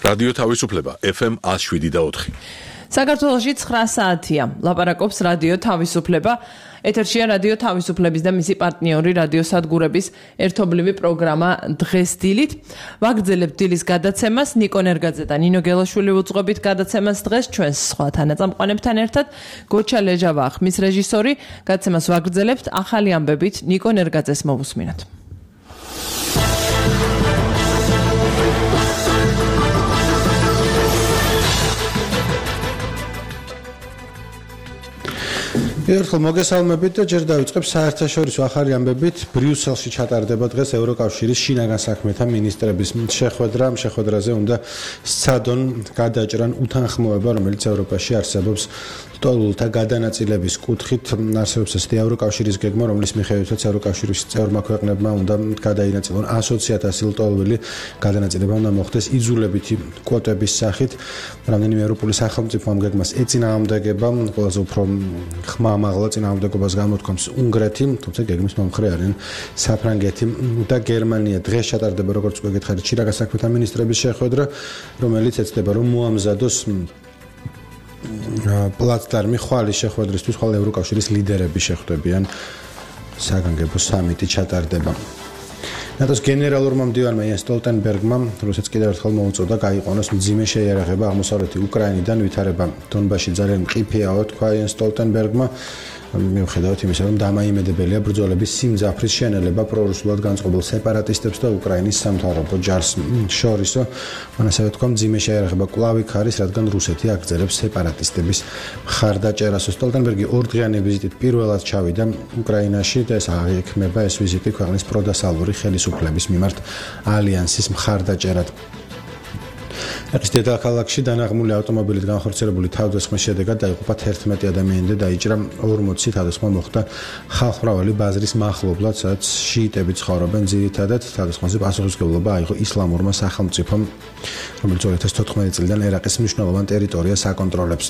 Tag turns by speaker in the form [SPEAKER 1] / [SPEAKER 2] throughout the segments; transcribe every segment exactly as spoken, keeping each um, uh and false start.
[SPEAKER 1] რადიო თავისუფლება ეფ ემ one oh seven და four.
[SPEAKER 2] საქართველოში ცხრა საათია. ლაპარაკობს რადიო თავისუფლება. ეთერშია რადიო თავისუფლების და მისი პარტნიორი რადიო სადგურების ერთობლივი პროგრამა დღეს დილით. ვაგრძელებთ დილის გადაცემას. ნიკო ნერგაძე და ნინო გელაშვილი უძღვებით გადაცემას დღეს ჩვენს სხვა თანაწამყვანებთან ერთად. გოჩა ლეჟავა ხმის რეჟისორი. გადაცემას ვაგრძელებთ ახალი ამბებით ნიკო ნერგაძეს მოვუსმინოთ.
[SPEAKER 3] ერთხელ მოგესალმებით და ჯერ დავიწყებ საერთაშორისო ახალი ამბებით. ბრიუსელში ჩატარდება დღეს ევროკავშირის შინაგან საქმეთა მინისტრების შეხვედრა. შეხვედრაზე უნდა სცადონ გადაჭრან უთანხმოება, რომელიც ევროპაში არსებობს ლტოლვილთა გადანაწილების კუთხით. არსებობს ესეთი ევროკავშირის გეგმა, რომლის მიხედვითაც ევროკავშირის წევრმა ქვეყნებმა უნდა გადაინაწილონ ასოცი ათასი ლტოლვილი. გადანაწილება უნდა მოხდეს იძულებითი კვოტების სახით. რამდენიმე ევროპული სახელმწიფო ამ გეგმას ეწინააღმდეგება. ყველაზე უფრო ხმა მაღლა წინააღმდეგობას გამოთქვამს უნგრეთი, თუმცა გეგმის მომხრე არიან საფრანგეთი და გერმანია. დღეს ჩატარდება, როგორც უკვე გითხარით, შინაგან საქმეთა მინისტრების შეხვედრა, რომელიც ეცდება, რომ მოამზადოს პლატფორმი ხვალის შეხვედრისთვის, ხვალ ევროკავშირის ლიდერები შეხვდებიან. საგანგებო სამიტი ჩატარდება. ნატოს გენერალურმა მდივანმა იენს სტოლტენბერგმა, რუსეთს კიდევ ერთხელ მოუწოდა გაიყვანოს მძიმე შეიარაღება აღმოსავლეთი უკრაინიდან, ვითარება დონბასში ძალიან მყიფეაო, თქვა იენს სტოლტენბერგმა. მიუხედავად იმისა, რომ დამაიმედებელია ბრძოლების სიმძაფრის შენელება პრორუსულად განწყობილ სეპარატისტებს და უკრაინის სამთავრობო ჯარს შორისო. მან ასევე თქვა, მძიმე შეიარაღება კვლავ იქ არის, რადგან რუსეთი აგრძელებს სეპარატისტების მხარდაჭერას. სტოლტენბერგი ორდღიანი ვიზიტით პირველად ჩავიდა უკრაინაში და ეს აღიქმება ეს ვიზიტი ქვეყნის პროდასალური ხელისუფლების მიმართ ალიანსის მხარდაჭერად. ეს დედაქალაქში დანაღმული ავტომობილით განხორციელებული თავდასხმის შედეგად დაიღუპა თერთმეტი ადამიანი და დაიჭრა ორმოცი. თავდასხმა მოხდა ხალხმრავალი ბაზრის მახლობლად, სადაც შიიტები ცხოვრობენ. ძირითადად თავდასხმაზე პასუხისმგებლობა აიღო ისლამურმა სახელმწიფომ, რომელიც ორი ათას თოთხმეტი წლიდან ერაყის მნიშვნელოვან ტერიტორიას აკონტროლებს.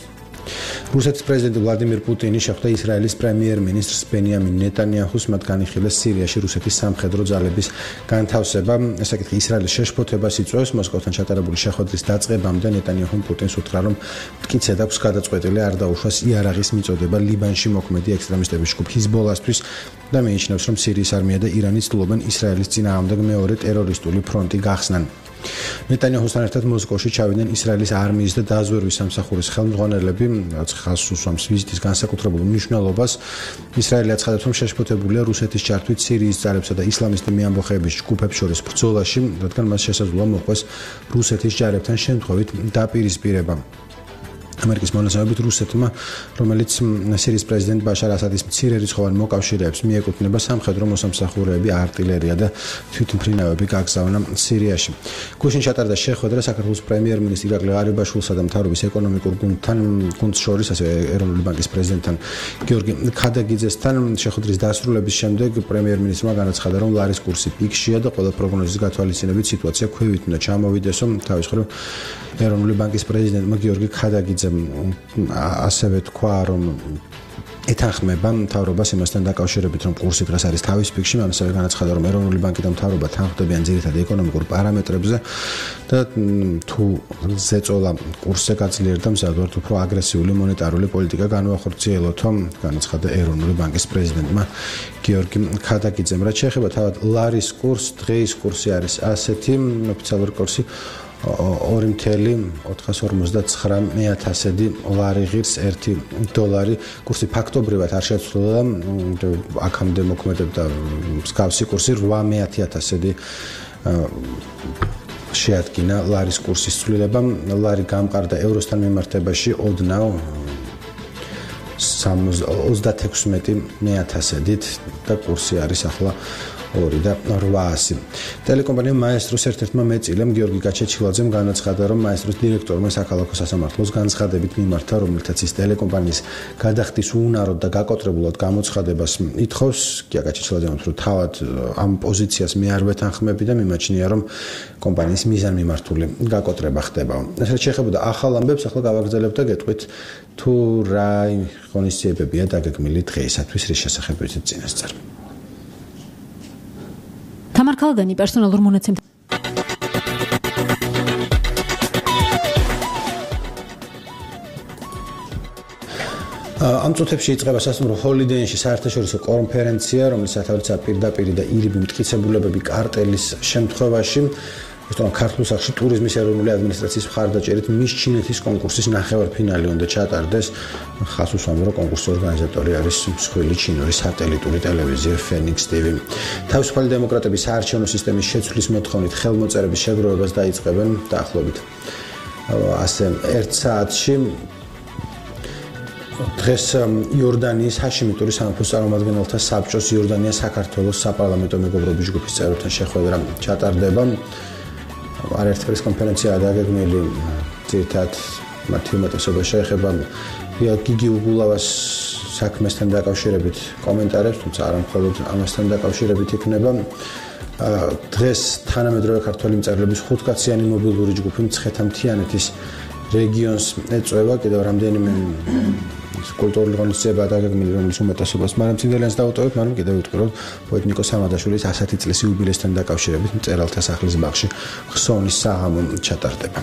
[SPEAKER 3] რუსეთის პრეზიდენტი ვლადიმირ პუტინი შეხვდა ისრაელის პრემიერ-მინისტრს ბენიამინ ნეტანიაჰუს, მათ განიხილეს სირიაში რუსეთის სამხედრო ძალების განთავსება. ეს საკითხი ისრაელის შეშფოთებას იწვევს. მოსკოვთან ჩატარებული შეხვედრის დაწყებამდე ნეტანიაჰუმ პუტინს უთხრა, რომ მტკიცედ აქვს გადაწყვეტილი არ დაუშვას იარაღის მიწოდება ლიბანში მოქმედი ექსტრემისტების ჯგუფ ჰიზბოლასთვის და მიიჩნევს, რომ სირიის არმია და ირანი ცდილობენ ისრაელის წინააღმდეგ მეორე ტერორისტული ფრონტი გახსნან. ნეტანიაჰუსთან ერთად მოსკოვში ჩავიდნენ ისრაელის არმიის და დაზვერვის სამსახურის ხელმძღვანელები, რაც ხაზს უსვამს ვიზიტის განსაკუთრებულ მნიშვნელობას. ისრაელი აცხადებს, რომ შეშფოთებულია რუსეთის ჩართვით სირიის ძალებსა და ისლამისტი მეამბოხეების ჯგუფებს შორის ბრძოლაში, რადგან მას შესაძლოა მოყვეს რუსეთის ჯარებთან შემთხვევით დაპირისპირება. ამერიკის მონაცემებით რუსეთმა, რომელიც სირიის პრეზიდენტ ბაშარ ასადის მცირერიცხოვან მოკავშირეებს მიეკუთვნება, სამხედრო მოსამსახურეები, არტილერია და თვითმფრინავები გაგზავნა სირიაში. გუშინ ჩატარდა შეხვედრა საქართველოს პრემიერ-მინისტრ ირაკლი ღარიბაშვილსა და მთავრობის ეკონომიკურ გუნდთან, გუნდს შორის, ასევე ეროვნული ბანკის პრეზიდენტთან გიორგი ქადაგიძესთან. შეხვედრის დასრულების შემდეგ პრემიერ-მინისტრმა განაცხადა, რომ ლარის კურსი პიკშია და ყველა პროგნოზის გათვალისწინებით სიტუაცია ქვევით უნდა ჩამოვიდესო. თავის მხრივ ეროვნული ბანკის პრეზიდენტმა გიორგი ქადაგიძე ასევე თქვა, რომ ეთანხმება მთავრობას იმასთან დაკავშირებით, რომ კურსი დღეს არის თავის პიკში. მან ასევე განაცხადა, რომ ეროვნული ბანკი და მთავრობა თანხმდებიან ძირითადად ეკონომიკურ პარამეტრებზე და თუ ზეწოლა კურსზე გაძლიერდა, მზადვართ უფრო აგრესიული მონეტარული პოლიტიკა განუახორციელოთო, განაცხადა ეროვნული ბანკის პრეზიდენტმა გიორგი ქადაგიძემ. რაც შეეხება თავად ლარის კურსს, დღეის კურსი არის ასეთი, ოფიციალური კურსი ორი ათეული ოთხასორმოცდაცხრა ათასედი ლარი ღირს ერთი დოლარი. კურსი ფაქტობრივად არ შეცვლილა, აქამდე მოქმედებდა მსგავსი კურსი რვა ათასედი შეადგინა ლარის კურსის ცვლილება. ლარი გამყარდა ევროსთან მიმართებაში ოდნავ ოცდათექვსმეტი ათასედით და კურსი არის ახლა ორი და რვაასი. ტელეკომპანია მაესტროს ერთ-ერთმა მეწილემ გიორგი გაჩეჩილაძემ განაცხადა, რომ მაესტროს დირექტორმა საქალაქო სასამართლოს განცხადებით მიმართა, რომელთაც ის ტელეკომპანიის გადახდის უუნაროდ და გაკოტრებულად გამოცხადებას ითხოვს. გია გაჩეჩილაძემ რომ თავად ამ პოზიციას მე არ ვეთანხმები და მიმაჩნია, რომ კომპანიის მიზანმიმართული გაკოტრება ხდება. ესეც შეეხებოდა ახალ ამბებს, ახლა გავაგრძელებთ და გეტყვით თუ რა ღონისძიებებია დაგეგმილი დღეისათვის, რის შესახებ ვიცით წინასწარ.
[SPEAKER 4] თამარ ქალგანი პერსონალურ მონაცემთა
[SPEAKER 3] ამ წუთებში იწყება სასტუმრო ჰოლიდეინში საერთაშორისო კონფერენცია, რომელიც სათავეა პირდაპირ და ირიბი მტკიცებულებები კარტელის შემთხვევაში. История ქართულ სახში ტურიზმის ეროვნული ადმინისტრაციის მხარდაჭერით მის ჩინეთის კონკურსის ნახევარფინალი უნდა ჩატარდეს. ხას უსვამს, რომ კონკურსის ორგანიზატორი არის მსხვილი ჩინური სატელიტური ტელევიზია Phoenix T V. თავისუფალი დემოკრატების საარჩევნო სისტემის შეცვლის მოთხოვნით ხელმოწერების შეგროვებას დაიწყებენ დაახლოებით ასე ერთ საათში. დღეს იორდანიის ჰაშიმიტური სამეფოს წარმომადგენელთა საბჭოს იორდანია საქართველოს საპარლამენტო მეგობრობის ჯგუფის წევრებთან შეხვედრა ჩატარდება. არაერთ პრეს კონფერენცია დაგეგმილი ძირითადად მათი უმეტესობა შეეხება გიგი უგულავას საქმესთან დაკავშირებით კომენტარებს, თუმცა არა მხოლოდ ამასთან დაკავშირებით იქნება. დღეს თანამედროვე ქართველი მწერლების ხუთკაციანი მობილური ჯგუფი მცხეთა-მთიანეთის რეგიონს ეწევა კიდევ რამდენიმე კულტურული ღონისძიება დაგეგმილი, რომლის უმეტესობას მაგრამ ცინდელიანს დავუტოვებ, მაგრამ კიდევ ვიტყვი, რომ პოეტ ნიკო სამადაშვილის ასეთი წლის იუბილესთან დაკავშირებით მწერალთა სახლის ბაღში ხსოვნის საღამო ჩატარდება.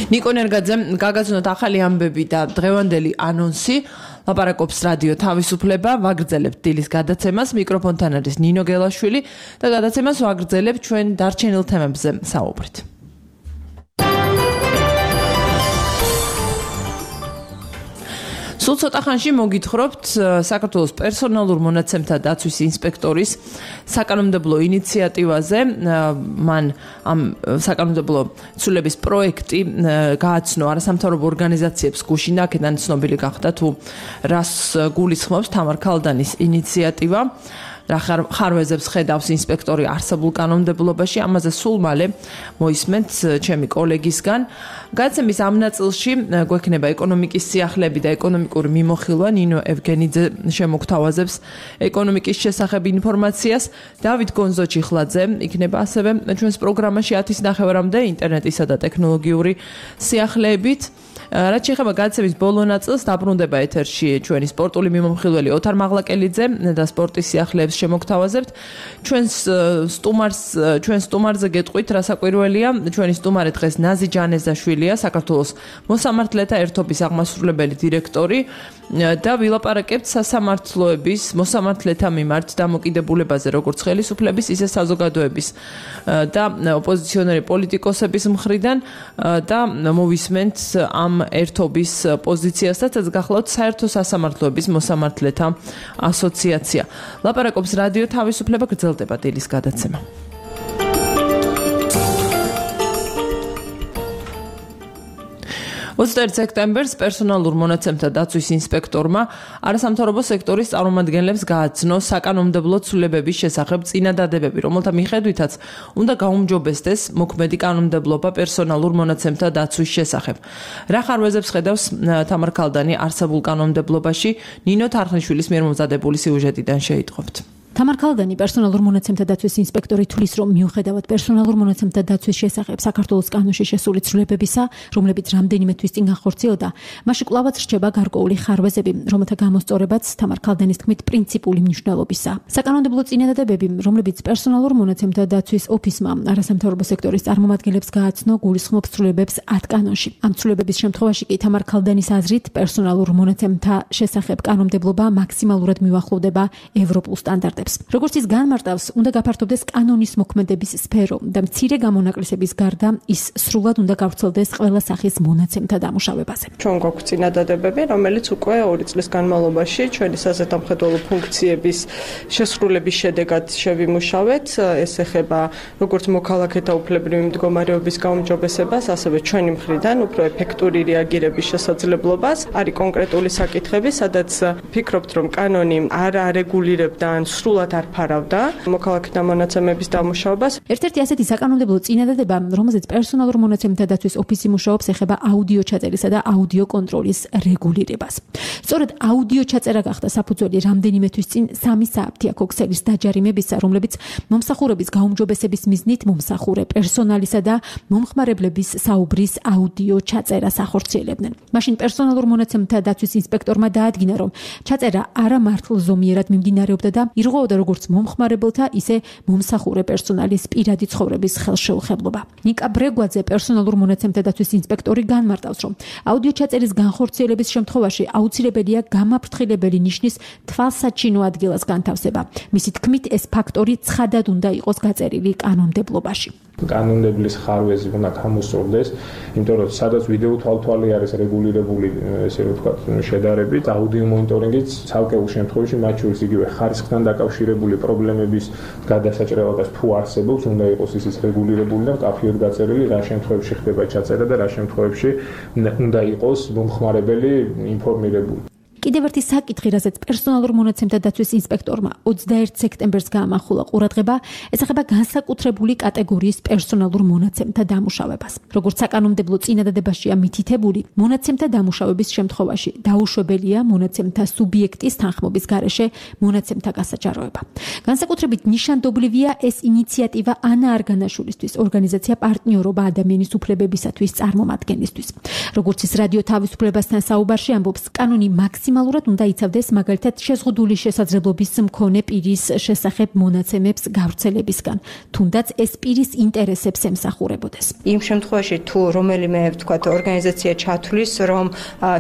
[SPEAKER 2] ნიკო ნერგაძემ გაგაცნოთ ახალი ამბები და დღევანდელი ანონსი. ლაპარაკობს რადიო თავისუფლება, ვაგრძელებთ დილის გადაცემას, მიკროფონთან არის ნინო გელაშვილი და გადაცემას ვაგრძელებთ ჩვენ დარჩენილ თემებზე საუბრით. სულ ცოტა ხანში მოგითხრობთ საქართველოს პერსონალურ მონაცემთა დაცვის ინსპექტორის საკანონმდებლო ინიციატივაზე. მან ამ საკანონმდებლო ცვლილების პროექტი გააცნო არასამთავრობო ორგანიზაციებს გუშინ, აქედან ცნობილი გახდა თუ რას გულისხმობს თამარ ქალდანის ინიციატივა. რა ხარვეზებს ხედავს ინსპექტორი არსებულ კანონმდებლობაში, ამაზე სულ მალე მოისმენთ ჩემი კოლეგისგან. გადაცემის ამ ნაწილში გვექნება ეკონომიკის სიახლეები და ეკონომიკური მიმოხილვა. ნინო ევგენიძე შემოგთავაზებს ეკონომიკის შესახებ ინფორმაციას. დავით გონზოჩიხლაძე იქნება ასევე ჩვენს პროგრამაში ათის ნახევარამდე ინტერნეტისა და ტექნოლოგიური სიახლეებით. რაც შეეხება გადაცემის ბოლო ნაწილს, დაბრუნდება ეთერში ჩვენი სპორტული მიმომხილველი ოთარ მაღლაკელიძე და სპორტის სიახლეებს შემოგთავაზებთ. ჩვენს სტუმარს, ჩვენ სტუმარზე გეტყვით, რა საკვირველია. ჩვენი სტუმარი დღეს ნაზი ჯანეზაშვილია, საქართველოს მოსამართლეთა ერთობის აღმასრულებელი დირექტორი და ვილაპარაკებთ სასამართლოების მოსამართლეთა მიმართ დამოკიდებულებაზე, როგორც ხელისუფლების, ისე საზოგადოების და ოპოზიციონერი პოლიტიკოსების მხრიდან და მოვისმენთ ამ ერთობის პოზიციასაც, გახლავთ საერთო სასამართლოების მოსამართლეთა ასოციაცია. ლაპარაკობს რადიო თავისუფლება, გრძელდება დილის გადაცემა. ოცდაერთი სექტემბერს პერსონალურ მონაცემთა დაცვის ინსპექტორმა არასამთავრობო სექტორის წარმომადგენლებს გააცნო საკანონმდებლო ცვლილებების შესახებ წინადადებები, რომელთა მიხედვითაც უნდა გაუმჯობესდეს მოქმედი კანონმდებლობა პერსონალურ მონაცემთა დაცვის შესახებ. რა ხარვეზებს ხედავს თამარ ქალდანი არსებულ კანონმდებლობაში? ნინო თარხნიშვილის მიერ მომზადებული სიუჟეტიდან შეიტყობთ.
[SPEAKER 4] თამარ ქალდანი პერსონალურ მონაცემთა დაცვის ინსპექტორი თulis რომ მიუხედავად პერსონალურ მონაცემთა დაცვის შესახებ საქართველოს კანონში შესული ცვლილებებისა, რომლებიც რამდენიმე თვის წინ განხორციელდა, მასში კვლავაც რჩება გარკვეული ხარვეზები, რომელთა გამოსწორებაც თამარ ქალდანის თქმით პრინციპული მნიშვნელობისა. საკანონმდებლო წინადადებები, რომლებიც პერსონალურ მონაცემთა დაცვის ოფისმა არასამთავრობო სექტორის წარმომადგენლებს გააცნო, გულისხმობს ცვლილებებს ათ კანონში. ამ ცვლილებების შემთხვევაში კი თამარ ქალდანის აზრით პერსონალურ მონაცემთა შესახებ კანონმდებლობა მაქსიმალურად მიუახლოვდება ევროპულ სტანდარტებს. როგორც ის განმარტავს, უნდა გაფართოვდეს კანონის მოქმედების სფერო და მცირე გამონაკლისების გარდა ის სრულად უნდა გავრცელდეს ყველა სახის მონაცემთა დამუშავებაზე.
[SPEAKER 5] ჩვენ გვაქვს წინადადებები, რომელიც უკვე ორი წლის განმავლობაში ჩვენი საზედამხედველო ფუნქციების შესრულების შედეგად შევიმუშავეთ. ეს ეხება როგორც მოქალაქეთა უფლებრივი მდგომარეობის გაუმჯობესებას, ასევე ჩვენი მხრიდან უფრო ეფექტური რეაგირების შესაძლებლობას. არის კონკრეტული საკითხები, სადაც ფიქრობთ, რომ კანონი არ არეგულირებდა ან სრულად არ ფარავდა მოქალაქეთა მონაცემების დამუშავებას.
[SPEAKER 4] ერთ-ერთი ასეთი საკანონმდებლო წინადადება, რომელზეც პერსონალურ მონაცემთა დაცვის ოფისი მუშაობს, ეხება აუდიო ჩაწერისა და აუდიო კონტროლის რეგულირებას. სწორედ აუდიო ჩაწერა გახდა საფუძველი რამდენიმე თვის წინ სამი საათია ქოქსელის დაჯარიმებისა, რომლებიც მომსახურების გაუმჯობესების მიზნით მომსახურე პერსონალისა და მომხმარებლების საუბრის აუდიო ჩაწერას ახორციელებდნენ. მაშინ პერსონალურ მონაცემთა დაცვის ინსპექტორმა დაადგინა, რომ ჩაწერა არა მართლზომიერად მიმდინარეობდა და ირღვეოდა როგორც მომხმარებელთა, ისე მომსახურე პერსონალის პირადი ცხოვრების ხელშეუხებლობა. ნიკა ბრეგვაძე, პერსონალურ მონაცემთა დაცვის ინსპექტორი, განმარტავს, რომ აუდიო ჩაწერის განხორციელების შემთხვევაში აუცილებელია გამაფრთხილებელი ნიშნის თვალსაჩინო ადგილას განთავსება. მისი თქმით, ეს ფაქტორი ცხადად უნდა იყოს გაწერილი კანონმდებლობაში.
[SPEAKER 6] კანონმდებლის ხარვეზი უნდა გამოსწორდეს, იმიტომ რომ სადაც ვიდეო თვალთვალი არის რეგულირებული, ესე რომ ვთქვათ, შედარებით, აუდიო მონიტორინგიც ცალკეულ შემთხვევაში მათ შორის იგივე ხარისხთან დაკავშირებული პრობლემების გადასაჭრელობას თუ არსებობს, უნდა იყოს ისიც რეგულირებული და მკაფიოდ გაწერილი, რა შემთხვევაში ხდება ჩაწერა და რა შემთხვევაში უნდა იყოს მომხმარებელი ინფორმირებული. კიდევ ერთი საკითხი, რასაც პერსონალურ მონაცემთა დაცვის ინსპექტორმა ოცდაერთი სექტემბერს გაამახვილა ყურადღება, ესახება განსაკუთრებული კატეგორიის პერსონალურ მონაცემთა დამუშავებას. როგორც საკანონმდებლო წინადადებაშია მითითებული, მონაცემთა დამუშავების შემთხვევაში დაუშვებელია მონაცემთა სუბიექტის თანხმობის გარეშე მონაცემთა გასაჯაროება. განსაკუთრებით ნიშანდობლივია ეს ინიციატივა ანა არგანაშვილისთვის, ორგანიზაცია პარტნიორობა ადამიანის უფლებებისათვის წარმომადგენლისთვის. როგორც ის რადიო თავისუფლებასთან საუბარში ამბობს, კანონი მაქსიმალურად უნდა იცავდეს მაგალითად შეზღუდული შესაძლებლობის მქონე პირის შესახებ მონაცემებს გავრცელებისგან, თუნდაც ეს პირის ინტერესებს ემსახურებოდეს.
[SPEAKER 7] იმ შემთხვევაში თუ რომელიმე ვთქვათ ორგანიზაცია ჩათვლის, რომ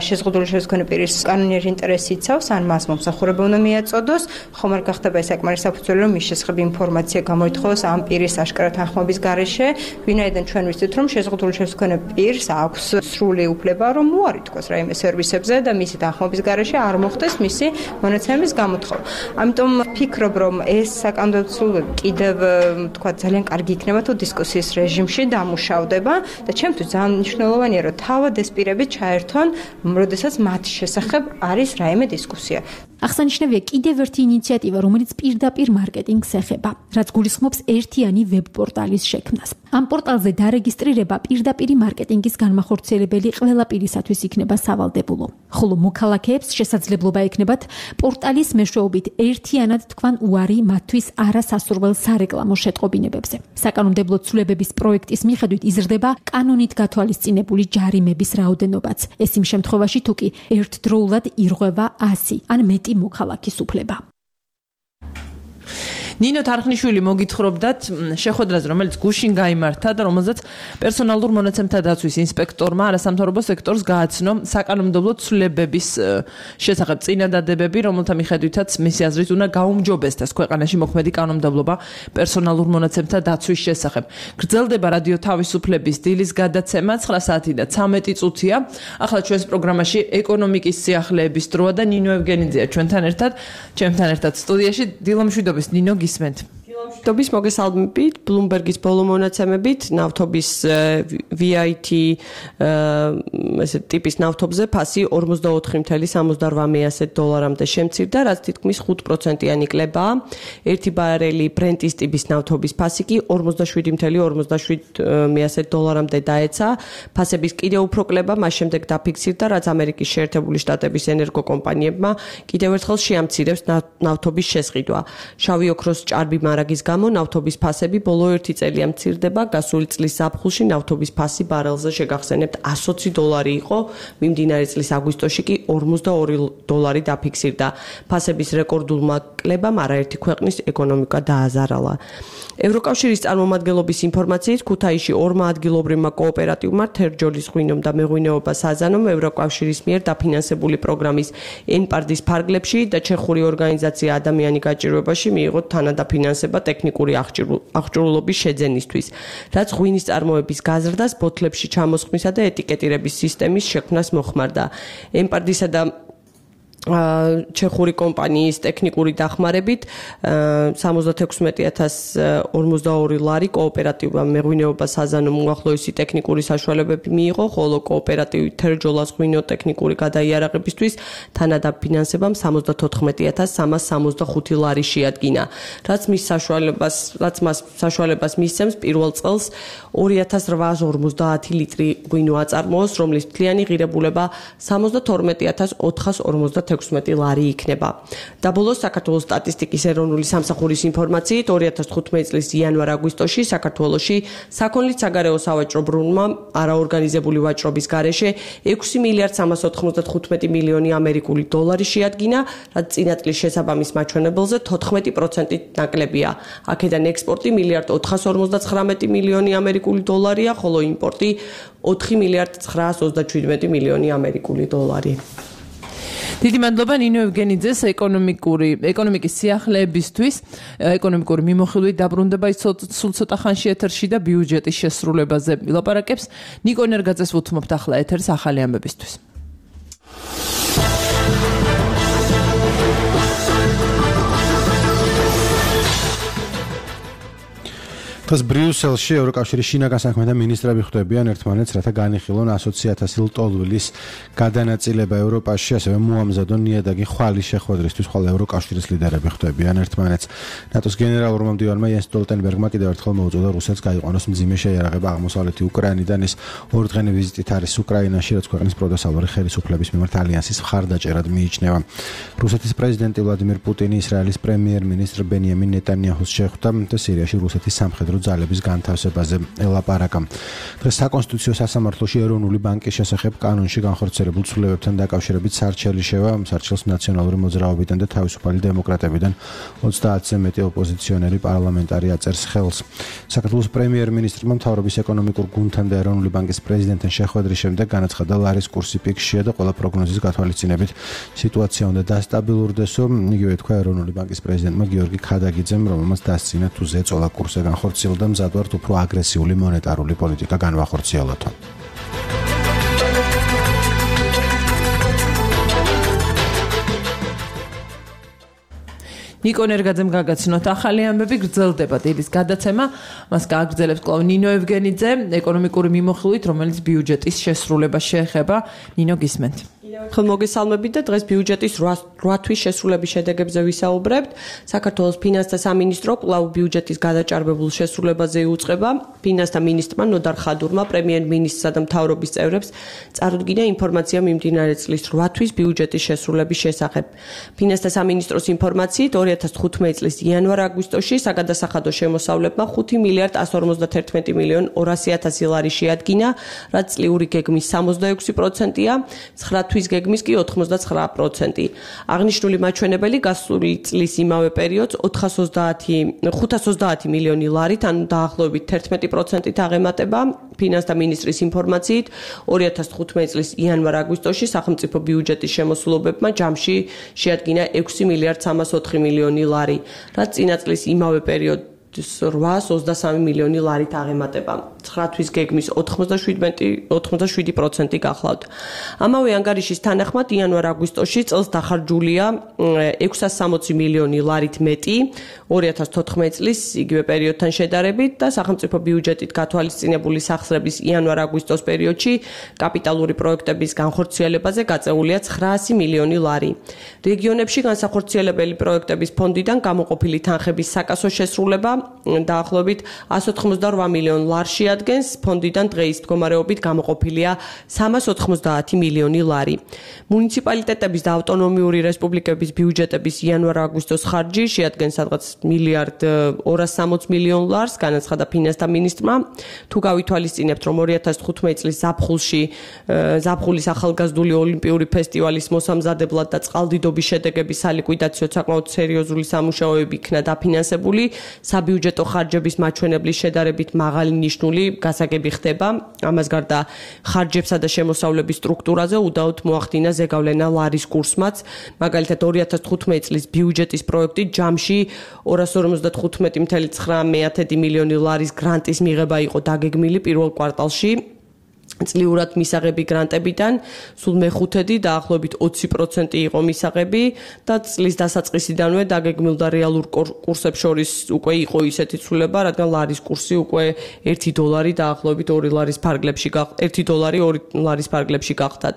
[SPEAKER 7] შეზღუდული შესაძლებლობის მქონე პირის კანონიერი ინტერესი იცავს, ან მას მომსახურება უნდა მიაწოდოს, ხომ არ გახდება ეს საკმარის საფუძველი, რომ მის შესახებ ინფორმაცია გამოითხოვოს ამ პირის აშკარა თანხმობის გარეშე, ვინაიდან ჩვენ ვიცით, რომ შეზღუდული შესაძლებლობის მქონე პირს აქვს სრული უფლება, რომ უარითქოს რაიმე სერვისებზე და მისი თანხმობის გარეშე არ მოხდეს მისი მონაცემების გამოთხოვა. ამიტომ ვფიქრობ, რომ ეს საკანონმდებლო კიდევ თქვა ძალიან კარგი იქნება თუ დისკუსიის რეჟიმში დამუშავდება და ჩემთვის ძალიან მნიშვნელოვანია, რომ თავად ეს პირები ჩაერთონ, როდესაც მათ შესახებ არის რაიმე დისკუსია.
[SPEAKER 4] აღსანიშნავია კიდევ ერთი ინიციატივა, რომელიც პირდაპირ მარკეტინგს ეხება, რაც გულისხმობს ერთიანი ვებ-პორტალის შექმნას. ამ პორტალზე დარეგისტრირება პირდაპირი მარკეტინგის განმახორციელებელი ყველა პირისათვის იქნება სავალდებულო. ხოლო მოქალაქეებს შესაძლებლობა ექნებათ პორტალის მეშვეობით ერთიანად თქვან უარი მათთვის არასასურველ სარეკლამო შეტყობინებებზე. საკანონმდებლო ცვლილებების პროექტის მიხედვით იზრდება კანონით გათვალისწინებული ჯარიმების რაოდენობაც. ეს იმ შემთხვევაში თუ კი ერთდროულად ირღვევა ასი ან მეტი მოქალაქის უფლება.
[SPEAKER 2] ნინო თარხნიშვილი მოგითხრობდათ შეხვედრაზე, რომელიც გუშინ გაიმართა და რომელზეც პერსონალურ მონაცემთა დაცვის ინსპექტორმა არასამთავრობო სექტორს გააცნო საკანონმდებლო ცვლილებების შესახებ წინადადებები, რომელთა მიხედვითაც მისი აზრით უნდა გაუმჯობესდეს ქვეყანაში მოქმედი კანონმდებლობა პერსონალურ მონაცემთა დაცვის შესახებ. გრძელდება რადიო თავისუფლების დილის გადაცემა ცხრა საათი და ცამეტი წუთია. ახლა ჩვენს პროგრამაში ეკონომიკის სიახლეების დროა და ნინო ევგენიძეა ჩვენთან ერთად, ჩემთან ერთად სტუდიაში. დილომშვიდობის ნინო, გისმენთ.
[SPEAKER 8] დილომშვიდობის, მოგესალმებით. Bloomberg-ის ბოლო მონაცემებით ნავთობის ვი აი თი ესე ტიპის ნავთობზე ფასი ორმოცდაოთხი წუთი სამოცდაორ დოლარამდე შემცირდა, რაც თითქმის ხუთ პროცენტიანი კლებაა. ერთი ბარელი ბრენტის ტიპის ნავთობის ფასი კი ორმოცდაშვიდი წუთი ორმოცდაშვიდ დოლარამდე დაეცა. ფასების კიდევ უფრო კლება მას შემდეგ დაფიქსირდა, რაც ამერიკის შეერთებული შტატების ენერგოკომპანიებმა კიდევ ერთხელ შეამცირებს ნავთობის შესყიდვა. შავი ოქროს ჭარბი მარაგის გამო ნავთობის ფასები ბოლო ერთი წელია მცირდება. გასული წლის ზაფხულში ნავთობის ფასი ბარელზე შეგახსენებთ εκατს ოცი დოლარი იყო, მიმდინარე წლის აგვისტოში კი ორმოცდაორი დოლარი დაფიქსირდა. ფასების რეკორდულმა კლებამ არაერთი ქვეყნის ეკონომიკა დააზარალა. ევროკავშირის წარმომადგენლობის ინფორმაციით ქუთაისში ორმა ადგილობრივმა კოოპერატივმა თერჯოლის ღვინომ და მეღვინეობა საზანომ ევროკავშირის მიერ დაფინანსებული პროგრამის ენპარდის ფარგლებში და ჩეხური ორგანიზაცია ადამიანი გაჭირვებაში მიიღო თანადაფინანსება ტექნიკური აღჭურვილობის შეძენისთვის, რაც ღვინის წარმოების გაზრდას, ბოთლებში ჩამოსხმისა და ეტიკეტირების სისტემის შექმნას მოხმარდა. ენპარდისა და ჩეხური კომპანიის ტექნიკური დახმარებით სამოცდათექვსმეტი ათას ორმოცდაორი ლარი კოოპერატივმა მეღვინეობა საზანო მოახლოესი ტექნიკური საშუალებები მიიღო, ხოლო კოოპერატივი თერჯოლას ღვინო ტექნიკური გადაიარაღებისთვის თანადაფინანსებამ სამოცდათოთხმეტი ათას სამას სამოცდახუთი ლარი შეადგინა, რაც მის საშუალებას, რაც მას საშუალებას მისცემს პირველ წელს ორი ათას რვაას ორმოცდაათი ლიტრი ღვინო აწარმოოს, რომლის მთლიანი ღირებულება სამოცდათორმეტი ათას ოთხას ორმოცდათექვსმეტი ლარი იქნება. და ბოლოს საქართველოს სტატისტიკის ეროვნული სამსახურის ინფორმაციით ორი ათას თხუთმეტი წლის იანვარ-აგვისტოში საქართველოში საქონლის საგარეო სავაჭრო ბრუნვა არაორგანიზებული ვაჭრობის გარეშე ექვსი მილიარდ სამას ოთხმოცდათხუთმეტი მილიონი ამერიკული დოლარი შეადგინა, რაც წინა წლის შესაბამის მაჩვენებელზე თოთხმეტი პროცენტით ნაკლებია. აქედან ექსპორტი მილიარდ ოთხას ორმოცდაცხრამეტი მილიონი ამერიკული დოლარია, ხოლო იმპორტი ოთხი მილიარდ ცხრაას ოცდაჩვიდმეტი მილიონი ამერიკული დოლარი.
[SPEAKER 2] დიდი მადლობა ნინო ევგენიძეს ეკონომიკური ეკონომიკის სიახლეებისთვის, ეკონომიკური მიმოხილვით დაბრუნდება ის სულ ცოტა ხანში ეთერში და ბიუჯეტის შესრულებაზე ვილაპარაკებს. ნიკო ენერგაძეს ვუთმობთ ახლა ეთერს ახალი ამბებისთვის.
[SPEAKER 3] დღეს ბრიუსელში ევროკავშირის შინაგან საქმეთა მინისტრები ხვდებიან ერთმანეთს, რათა განიხილონ ასოციაციათასი ლტოლვილის გადანაწილება ევროპაში, ასევე მოამზადონ ნიადაგი ხვალის შეხვედრისთვის. ხვალ ევროკავშირის ლიდერები ხვდებიან ერთმანეთს. ნატოს გენერალურმა მდივანმა იენს სტოლტენბერგმა კიდევ ერთხელ მოუწოდა რუსეთს გაიყვანოს მძიმე შეიარაღება აღმოსავლეთი უკრაინიდან. ის ორდღიანი ვიზიტით არის უკრაინაში, რაც ქვეყნის პროდესალური ხელისუფლების მიმართ ალიანსის მხარდაჭერად მიიჩნევა. რუსეთის პრეზიდენტი ვლადიმირ პუტინი ისრაელის პრემიერ-მინისტრ ბენიამინ ნეტანიაჰუს შეხვდა და სირიაში რუსეთის სამხედრო ძალების განთავსებაზე ელაპარაკა. დღეს საკონსტიტუციო სასამართლოში ეროვნული ბანკის შესახებ კანონში განხორციელებულ ცვლილებებთან დაკავშირებით სარჩელი შევა, სარჩელს ნაციონალური მოძრაობიდან და თავისუფალი დემოკრატებიდან ოცდაათზე მეტი ოპოზიციონერი პარლამენტარი აწერს ხელს. საქართველოს პრემიერ-მინისტრმა მთავრობის ეკონომიკურ გუნდთან და ეროვნული ბანკის პრეზიდენტთან შეხვედრის შემდეგ განაცხადა, ლარის კურსი პიკშია და ყველა პროგნოზის გათვალისწინებით სიტუაცია უნდა დასტაბილურდესო. იგივე თქვა ეროვნული ბანკის პრეზიდენტმა გიორგი ქადაგიძემ, რომელმაც დასცინა თუ ზეწოლა კურსზე განხორციელება და მზადვართ უფრო აგრესიული მონეტარული პოლიტიკა განვახორციელოთო.
[SPEAKER 2] ნიკო ენერგაძემ გაგაცნოთ ახალი ამბები, გრძელდება დილის გადაცემა, მას გააგრძელებს კვლავ ნინო ევგენიძე ეკონომიკური მიმოხილვით, რომელიც ბიუჯეტის შესრულებას შეეხება. ნინო, გისმენთ.
[SPEAKER 8] ხელ მოგესალმებით და დღეს ბიუჯეტის რვა თვის შესრულების შედეგებზე ვისაუბრებთ. საქართველოს ფინანსთა სამინისტრო კვლავ ბიუჯეტის გადაჭარბებულ შესრულებაზე იუწყება. ფინანსთა მინისტრმა ნოდარ ხადურმა პრემიერ-მინისტრსა და მთავრობის წევრებს წარუდგინა ინფორმაცია მიმდინარე წლის რვა თვის ბიუჯეტის შესრულების შესახებ. ფინანსთა სამინისტროს ინფორმაციით ორი ათას თხუთმეტი წლის იანვარ-აგვისტოში საგადასახადო შემოსავლებმა ხუთი მილიარდ ასი ორმოცდათერთმეტი მილიონ ორასი ათასი ლარი შეადგინა, რაც წლიური გეგმის სამოცდაექვსი პროცენტია, ცხრა თვის გეგმის კი ოთხმოცდაცხრა პროცენტი. აღნიშნული მაჩვენებელი გასული წლის იმავე პერიოდს ხუთას ოცდაათი მილიონი ლარით, ანუ დაახლოებით თერთმეტი პროცენტით აღემატება. ფინანსთა მინისტრის ინფორმაციით ორი ათას თხუთმეტი წლის იანვარ-აგვისტოში სახელმწიფო ბიუჯეტის შემოსულობებმა ჯამში შეადგინა ექვსი მილიარდ სამას ოთხი მილიონი ლარი, რაც წინა წლის იმავე პერიოდს რვაას ოცდასამი მილიონი ლარით აღემატება. ცხრა თვის გეგმის ოცდაშვიდი პროცენტი გახლავთ. ამავე ანგარიშის თანახმად იანვარ-აგვისტოში წელს დახარჯულია ექვსას სამოცი მილიონი ლარით მეტი ორი ათას თოთხმეტი წლის იგივე პერიოდთან შედარებით და სახელმწიფო ბიუჯეტით გათვალისწინებული სახსრების იანვარ-აგვისტოს პერიოდში კაპიტალური პროექტების განხორციელებაზე გაწეულია ცხრაასი მილიონი ლარი. რეგიონებში განსახორციელებელი პროექტების ფონდიდან გამოყოფილი თანხების საკასო შესრულება დაახლოებით ასი ოთხმოცდარვა მილიონ ლარს შეადგენს, ფონდიდან დღეის მდგომარეობით გამოყოფილია სამას ოთხმოცდაათი მილიონი ლარი. მუნიციპალიტეტების და ავტონომიური რესპუბლიკების ბიუჯეტების იანვარ-აგვისტოს ხარჯი შეადგენს სადღაც მილიარდ ორას სამოცი მილიონ ლარს, განაცხადა ფინანსთა მინისტრმა. თუ გავითვალისწინებთ, რომ ორი ათას თხუთმეტი წლის ზაფხულში ზაფხულის ახალგაზრდული ოლიმპიური ფესტივალის მოსამზადებლად და წყალდიდობის შედეგების სალიკვიდაციო საკმაოდ სერიოზული სამუშაოები იქნა დაფინანსებული, საბიუჯეტო ხარჯების მაჩვენებლის შედარებით მაღალი ნიშნული გასაგები ხდება. ამას გარდა ხარჯებსა და შემოსავლების სტრუქტურაზე უდაოდ მოახდინა ზეგავლენა ლარის კურსმაც. მაგალითად ორი ათას თხუთმეტი წლის ბიუჯეტის პროექტი ჯამში ორას ორმოცდათხუთმეტი მილიონი ცხრაასი მილიონი ლარის გრანტის მიღება იყო დაგეგმილი პირველ კვარტალში. წლიურად მისაღები გრანტებიდან, სულ მეხუთედი დაახლოებით ოცი პროცენტი იყო მისაღები და წლის დასაწყისიდანვე დაგეგმილდა რეალურ კურსებს შორის უკვე იყო ისეთი ცვლილება, რადგან ლარის კურსი უკვე ერთი დოლარი დაახლოებით ორი ლარის ფარგლებში ერთი დოლარი ორი ლარის ფარგლებში გახდათ.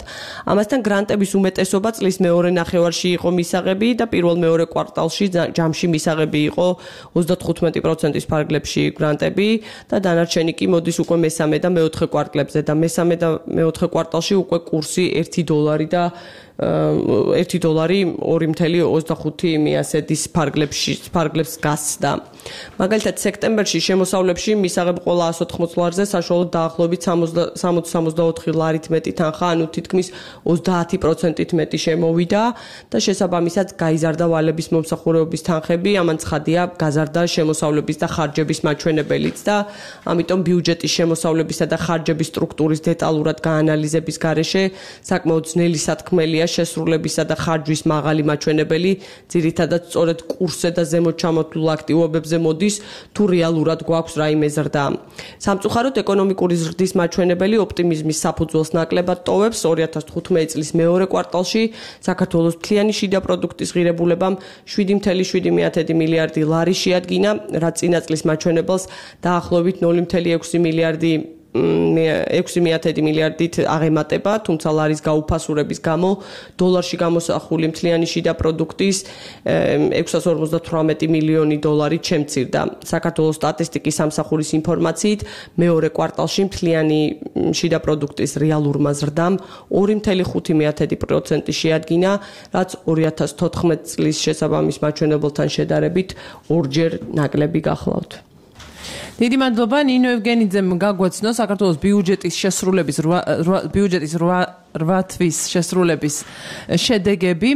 [SPEAKER 8] ამასთან გრანტების უმეტესობა წლის მეორე ნახევარში იყო მისაღები და პირველ მეორე კვარტალში ჯამში მისაღები იყო ოცდათხუთმეტი პროცენტის ფარგლებში გრანტები და დანარჩენი კი მოდის უკვე მესამე და მეოთხე კვარტლებზე და მესამე და მეოთხე კვარტალში უკვე კურსი ერთი დოლარი და ერთი დოლარი ორი ათეული ოცდახუთი მიასედის ფარგლებში ფარგლებს გასცდა. მაგალითად სექტემბერში შემოსავლებში მისაღები ყველა ას ოთხმოცი ლარზე საშუალოდ დაახლოებით სამოცი სამოცდაოთხი ლარით მეტი თანხა, ანუ თითქმის ოცდაათი პროცენტით მეტი შემოვიდა და შესაბამისად გაიზარდა ვალების მომსახურებების თანხები, ამან ცხადია გაზარდა შემოსავლების და ხარჯების მაჩვენებელიც და ამიტომ ბიუჯეტის შემოსავლებისა და ხარჯების სტრუქტურის დეტალურად გაანალიზების გარეშე საკმაოდ ძნელი სათქმელია შესრულებისა და ხარჯვის მაღალი მაჩვენებელი, ძირითადად სწორედ კურსზე და ზემოთ ჩამოთვლილ აქტივობებზე მოდის, თუ რეალურად გვაქვს რაიმე ზრდა. სამწუხაროდ ეკონომიკური ზრდის მაჩვენებელი ოპტიმიზმის საფუძველს ნაკლებად ტოვებს. ორი ათას თხუთმეტი წლის მეორე კვარტალში საქართველოს მთლიანი შიდა პროდუქტის ღირებულებამ შვიდი ათეული შვიდი მილიარდი ლარი შეადგინა, რაც წინა წლის მაჩვენებელს დაახლოებით ნული ათეული ექვსი მილიარდი ექვსი მილიარდით აღემატება, თუმცა ლარის გაუფასურების გამო დოლარში გამოსახული მთლიანი შიდა პროდუქტის ექვსას ორმოცდათვრამეტი მილიონი დოლარი შემცირდა. საქართველოს სტატისტიკის სამსახურის ინფორმაციით, მეორე კვარტალში მთლიანი შიდა პროდუქტის რეალურმა ზრდამ ორი ათეული ხუთი პროცენტი შეადგინა, რაც ორი ათას თოთხმეტი წლის შესაბამის მაჩვენებელთან შედარებით ორჯერ ნაკლები გახლავთ.
[SPEAKER 2] დიდი მადლობა ნინო ევგენიძემ გაგვაცნო საქართველოს ბიუჯეტის შესრულების ბიუჯეტის რვა თვის შესრულების შედეგები.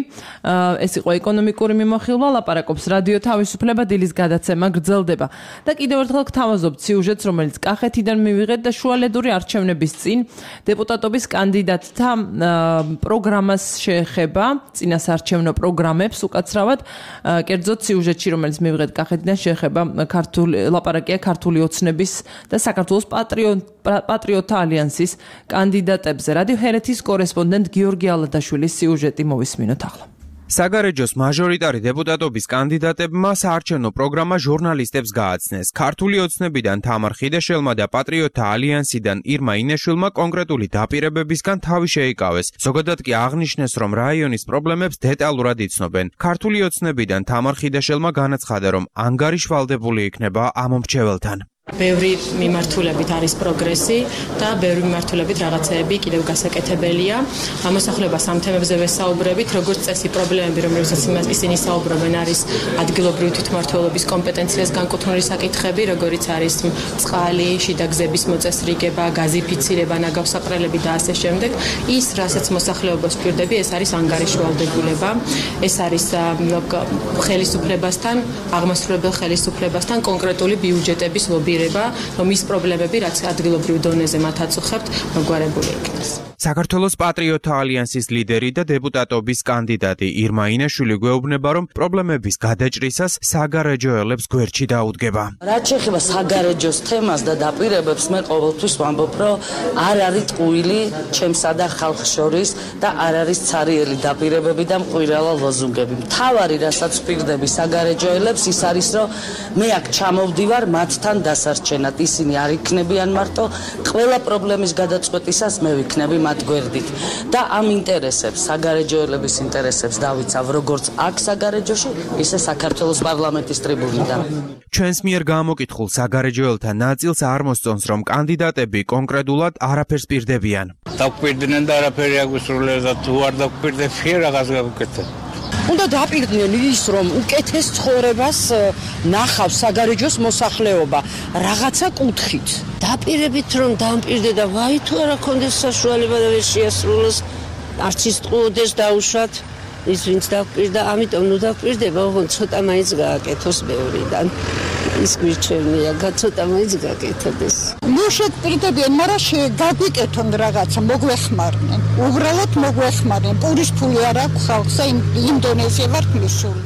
[SPEAKER 2] ეს იყო ეკონომიკური მიმოხილვა, ლაპარაკობს რადიო თავისუფლება, დილის გადაცემა გრძელდება. და კიდევ ერთხელ გთავაზობთ სიუჟეტს, რომელიც კახეთიდან მივიღეთ და შუალედური არჩევნების წინ დეპუტატობის კანდიდატთა პროგრამას შეეხება, წინასაარჩევნო პროგრამებს უკაცრავად. კერძოდ სიუჟეტში, რომელიც მივიღეთ კახეთიდან, შეეხება ქართული ლაპარაკია ქართული ოცნების და საქართველოს პატრიოტთა ალიანსის კანდიდატებზე. რადიო ჰერეთის კორესპონდენტ გიორგი ალადაშვილის სიუჟეტი მოვისმინოთ ახლა.
[SPEAKER 9] საგარეჯოს მაჟორიტარი დეპუტატობის კანდიდატებმა საარჩევნო პროგრამა ჟურნალისტებს გააცნეს. ქართული ოცნებიდან თამარ ხიდაშელმა და პატრიოტთა ალიანსიდან ირმა ინეშვილმა კონკრეტული დაპირებებისგან თავი შეიკავეს. ზოგადად კი აღნიშნეს, რომ რაიონის პრობლემებს დეტალურად იცნობენ. ქართული ოცნებიდან თამარ ხიდაშელმა განაცხადა, რომ ანგარიშვალდებული იქნება ამ მრჩეველთან.
[SPEAKER 10] ბევრი მიმართულებით არის პროგრესი და ბევრი მიმართულებით რაღაცეები კიდევ გასაკეთებელია. ამოსახლება სამ თემებზე ვესაუბრებით, როგორც წესი პრობლემები, რომლებსაც ისინი საუბრობენ, არის ადგილობრივი თვითმმართველობის კომპეტენციას განკუთვნილი საკითხები, როგორიც არის წყალი, შიდა გზების მოწესრიგება, გაზიფიცირება, ნაგავსაყრელები და ასე შემდეგ. ის, რასაც მოსახლეობას ვჭირდები, ეს არის ანგარიშვალდებულება, ეს არის ხელისუფლებასთან, აღმასრულებელ ხელისუფლებასთან კონკრეტული ბიუჯეტების ლობი რომ ის პრობლემები, რაც ადგილობრივ დონეზე მათ აწუხებთ, მოგვარებული იქნეს.
[SPEAKER 9] საქართველოს პატრიოტთა ალიანსის ლიდერი და დეპუტატობის კანდიდატი ირმა ინეშვილი გვეუბნება, რომ პრობლემების გადაჭრისას საგარეჯოელებს გვერდში დაუდგება.
[SPEAKER 11] რაც შეეხება საგარეჯოს თემას და დაპირებებს, მე ყოველთვის ვამბობ, რომ არ არის ტყუილი ჩემსა და ხალხს შორის და არ არის ცარიელი დაპირებები და მყვირალა ლოზუნგები. მთავარი, რასაც ვპირდები საგარეჯოელებს, ის არის, რომ მე აქ ჩამოვდივარ მათთან დასარჩენად. ისინი არ იქნებიან მარტო, ყველა პრობლემის გადაწყვეტისას მე ვიქნები მათ გვერდით და ამ ინტერესებს, საგარეჯოელების ინტერესებს დავიცავ როგორც აქ საგარეჯოში, ისე საქართველოს პარლამენტის ტრიბუნიდან.
[SPEAKER 9] ჩვენს მიერ გამოკითხულ საგარეჯოელთა ნაწილს არ მოსწონს, რომ კანდიდატები კონკრეტულად არაფერს პირდებიან.
[SPEAKER 12] დაგვპირდნენ და არაფერი აგვისრულებს და თუ არ დაგვპირდებიან, რაღაც გავუკეთებ.
[SPEAKER 13] უნდა დაპირდნენ ის, რომ უკეთეს ცხოვრებას ნახავს საგარეჯოს მოსახლეობა რაღაცა კუთხით.
[SPEAKER 14] დაპირებით რომ დამპირდე და ვაი თუ არა კონდეს საშუალება და ვერ შეასრულოს, არც ის ტყუოდეს დაუშვათ, ის ვინც დაპირდა, ამიტომ ნუ დაპირდება, ოღონდ ცოტა მაინც გააკეთოს ბევრიდან. ის გვირჩევნია, ცოტა მაინც გააკეთოდეს.
[SPEAKER 15] ნუ შეგპირდებიან, მაგრამ შეგვიკეთონ რაღაცა, მოგვეხმარნენ. უბრალოდ მოგვეხმარნენ. პურის ფული არ აქვს ხალხს, იმ დონეზე ვართ მისული.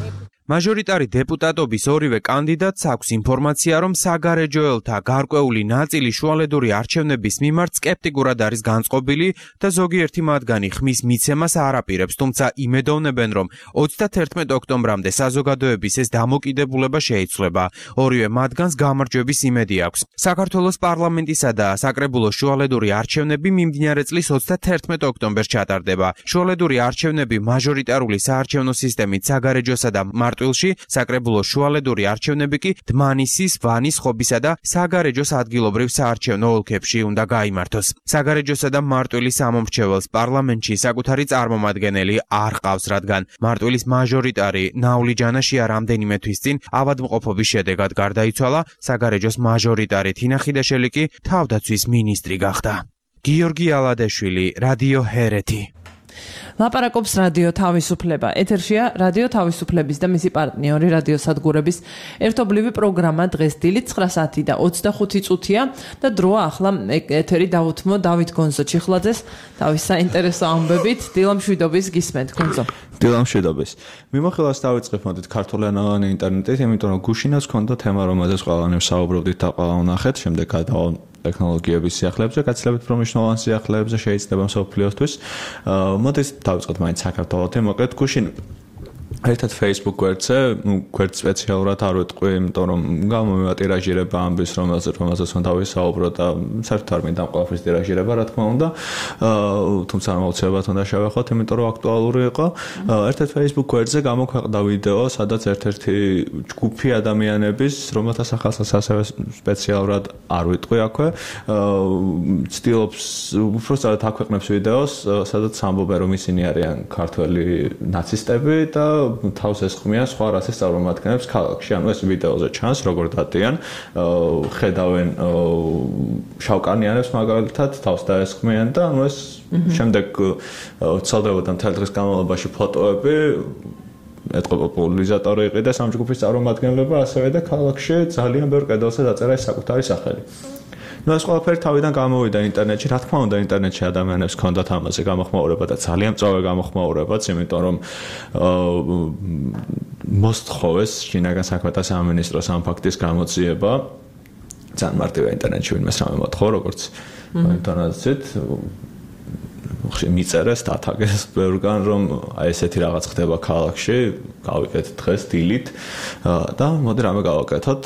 [SPEAKER 9] მაჟორიტარი დეპუტატობის ორივე კანდიდატს აქვს ინფორმაცია, რომ საგარეჯოელთა გარკვეული ნაწილი შუალედური არჩევნების მიმართ სკეპტიკურად არის განწყობილი და ზოგიერთი მათგანი ხმის მიცემას არ აპირებს, თუმცა იმედოვნებენ, რომ ოცდათერთმეტ ოქტომბრამდე საზოგადოების ეს დამოკიდებულება შეიცვლება. ორივე მათგანს გამარჯვების იმედი აქვს. საქართველოს პარლამენტისა და საკრებულოს შუალედური არჩევნები მიმდინარე წლის ოცდათერთმეტ ოქტომბერს ჩატარდება. შუალედური არჩევნები მაჟორიტარული საარჩევნო სისტემით საგარეჯოსა და მარტვილში, საკრებულოს შუალედური არჩევნები კი დმანისის, ვანის, ხობისა და საგარეჯოს ადგილობრივ საარჩევნო ოლქებში უნდა გაიმართოს. საგარეჯოსა და მარტვილის ამომრჩეველს პარლამენტში საკუთარი წარმომადგენელი არ ყავს, რადგან მარტვილის მაჟორიტარი ნაული ჯანაშია რამდენიმე თვის წინ ავადმყოფობის შედეგად გარდაიცვალა, საგარეჯოს მაჟორიტარი თინა ხიდაშელი კი თავდაცვის მინისტრი გახდა. გიორგი ალადეშვილი, რადიო ჰერეთი.
[SPEAKER 2] ლაპარაკობს რადიო თავისუფლება. ეთერშია რადიო თავისუფლების და მისი პარტნიორი რადიო სადგურების ერთობლივი პროგრამა დღეს დილით ცხრა საათი და ოცდახუთი წუთია და დროა ახლა ეთერი დავუთმო დავით გონზო ჩიხლაძეს თავის საინტერესო ამბებით. დილამშვიდობის გისმენთ გონზო.
[SPEAKER 16] დილამშვიდობის. მიმოხილვას დავიწყებ მოდით ქართულენოვანი ინტერნეტით, იმიტომ რომ გუშინაც ჰქონდა თემა, რომელზეც ყველანი ვსაუბრობდით და ყველა ვნახეთ, შემდეგ გადავალ ტექნოლოგიების სიახლეებზე, გაცილებით უფრო მნიშვნელოვან სიახლეებზე შეიძლება მსოფლიოსთვის. მოდით დავიწყოთ მაინც საქართველოსთან, მოკლედ გუშინ ერთად Facebook გვერდზე, ну, გვერდ სპეციალურად არ ვეტყვი, იმიტომ რომ გამომივა ტირაჟირება ამბის, რომელზეც რომელზეც უნდა ვისაუბრო და საერთოდ არ მინდა ყველაფრის ტირაჟირება, რა თქმა უნდა. თუმცა აუცილებლად უნდა შევეხოთ, იმიტომ რომ აქტუალური იყო. ერთად Facebook გვერდზე გამოქვეყნდა ვიდეო, სადაც ერთ-ერთი ჯგუფი ადამიანების, რომელთა სახელსაც ასევე სპეციალურად არ ვიტყვი აქვე, ცდილობს უბრალოდ აქვეყნებს ვიდეოს, სადაც ამბობენ, რომ ისინი არიან ქართველი ნაცისტები და თავს ესხმიან სხვა რასის წარმომადგენლებს ქალაქში. ანუ ეს ვიდეოზე ჩანს, როგორ დადიან, ხედავენ შავკანიანებს მაგალითად, თავს დაესხმიან და ანუ ეს შემდეგ ცალდებოდა მთელი დღის განმავლობაში ფოტოები, ეთყო პოპულარიზატორი იყიდა ამ ჯგუფის წარმომადგენლობა, ასევე და ქალაქში ძალიან ბევრ კედელზე დაწერა ეს საკუთარი სახელი. ну ეს ყველაფერი თავიდან გამოვიდა ინტერნეტში, რა თქმა უნდა ინტერნეტში ადამიანებს ჰქონდათ ამაზე გამოხმაურება და ძალიან მწვავე გამოხმაურებაც, იმიტომ რომ მოსთხოვეს შინაგან საქმეთა სამინისტროს ამ ფაქტის გამოძიება. ძალიან მარტივია ინტერნეტში ვინმეს რამე მოთხოვ, როგორც ინტერნეტით მიწერეს დათაგეს ბევრგან, რომ აი ესეთი რაღაც ხდება ქალაქში, გავიკეთეთ დღეს დილით და მოდი რამე გავაკეთოთ.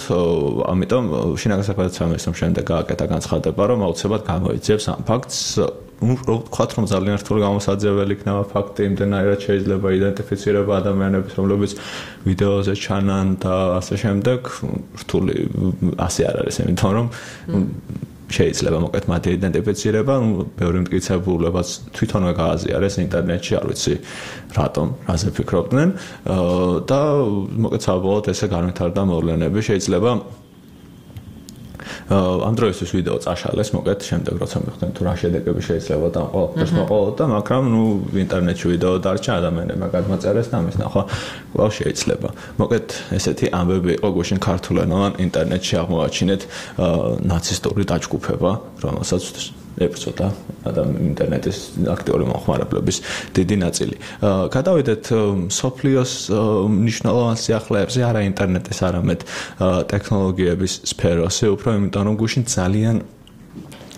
[SPEAKER 16] ამიტომ შინაგან საქმეთა სამინისტრომ შემდეგ გააკეთა განცხადება, რომ აუცილებლად გამოიძიებს ამ ფაქტს. ну ვთქვათ, რომ ძალიან რთული გამოსაძიებელი იქნება ფაქტი, იმდენად შეიძლება იდენტიფიცირება ადამიანების, რომლებიც ვიდეოზე ჩანან და ასე შემდეგ. რთული ასე არ არის, იმიტომ რომ შეიძლება მოკლედ მათი იდენტიფიცირება, ну ბევრი მტკიცებულებაც თვითონვე გააზიარეს ინტერნეტში, არ ვიცი რატომ, რაზე ფიქრობდნენ და მოკლედ საბოლოოდ ესე განვითარდა მოვლენები. შეიძლება ამ დროისთვის ვიდეო წაშალეს, მოკლედ შემდეგ როცა მიხდნენ თუ რა შედეგები შეიძლება და ყველაფერს მოყოლოდა, მაგრამ ну ინტერნეტში ვიდეო დარჩა, ადამიანებმა გადმოწერეს და ამის ნახვა კვლავ შეიძლება. მოკლედ ესეთი ამბები იყო გუშინ ქართულენოვან ინტერნეტში აღმოაჩინეთ ნაცისტური დაჯგუფება, რომელსაც ეპიზოდა ადამიან ინტერნეტის აქტიური მომხმარებლების დიდი ნაწილი. გადავიდეთ სოფლიოს მნიშვნელოვან სიახლეებზე, არა ინტერნეტის, არამედ ტექნოლოგიების სფეროზე, უფრო იმიტომ რომ გუშინ ძალიან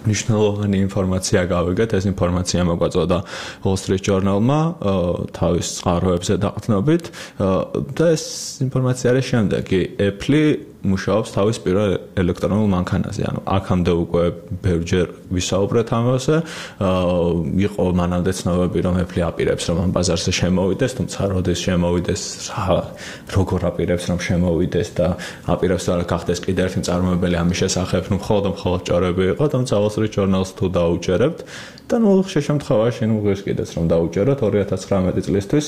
[SPEAKER 16] მნიშვნელოვანი ინფორმაცია გავიგეთ. ეს ინფორმაცია მოგვაწოდა Wall Street Journal-მა თავის წყაროებზე დაყრდნობით და ეს ინფორმაცია არის შემდეგი. Apple მუშაობს თავის პირველ ელექტრონულ მანქანაზე. ანუ აქამდე უკვე ბევრჯერ ვისაუბრეთ ამაზე. იყო მანამდე ცნობები, რომ Apple აპირებს, რომ ამ ბაზარზე შემოვიდეს, თუმცა როდის შემოვიდეს, როგორ აპირებს, რომ შემოვიდეს და აპირებს რა გახდეს კიდევ ერთი მწარმოებელი ამის შესახებ, ну მხოლოდ მხოლოდ ჭორები იყო, თუმცა Wall Street Journal-ს თუ დაუჯერებთ და ну შემთხვევაში ну ღირს კიდეც რომ დაუჯეროთ ორი ათას ცხრამეტი წლისთვის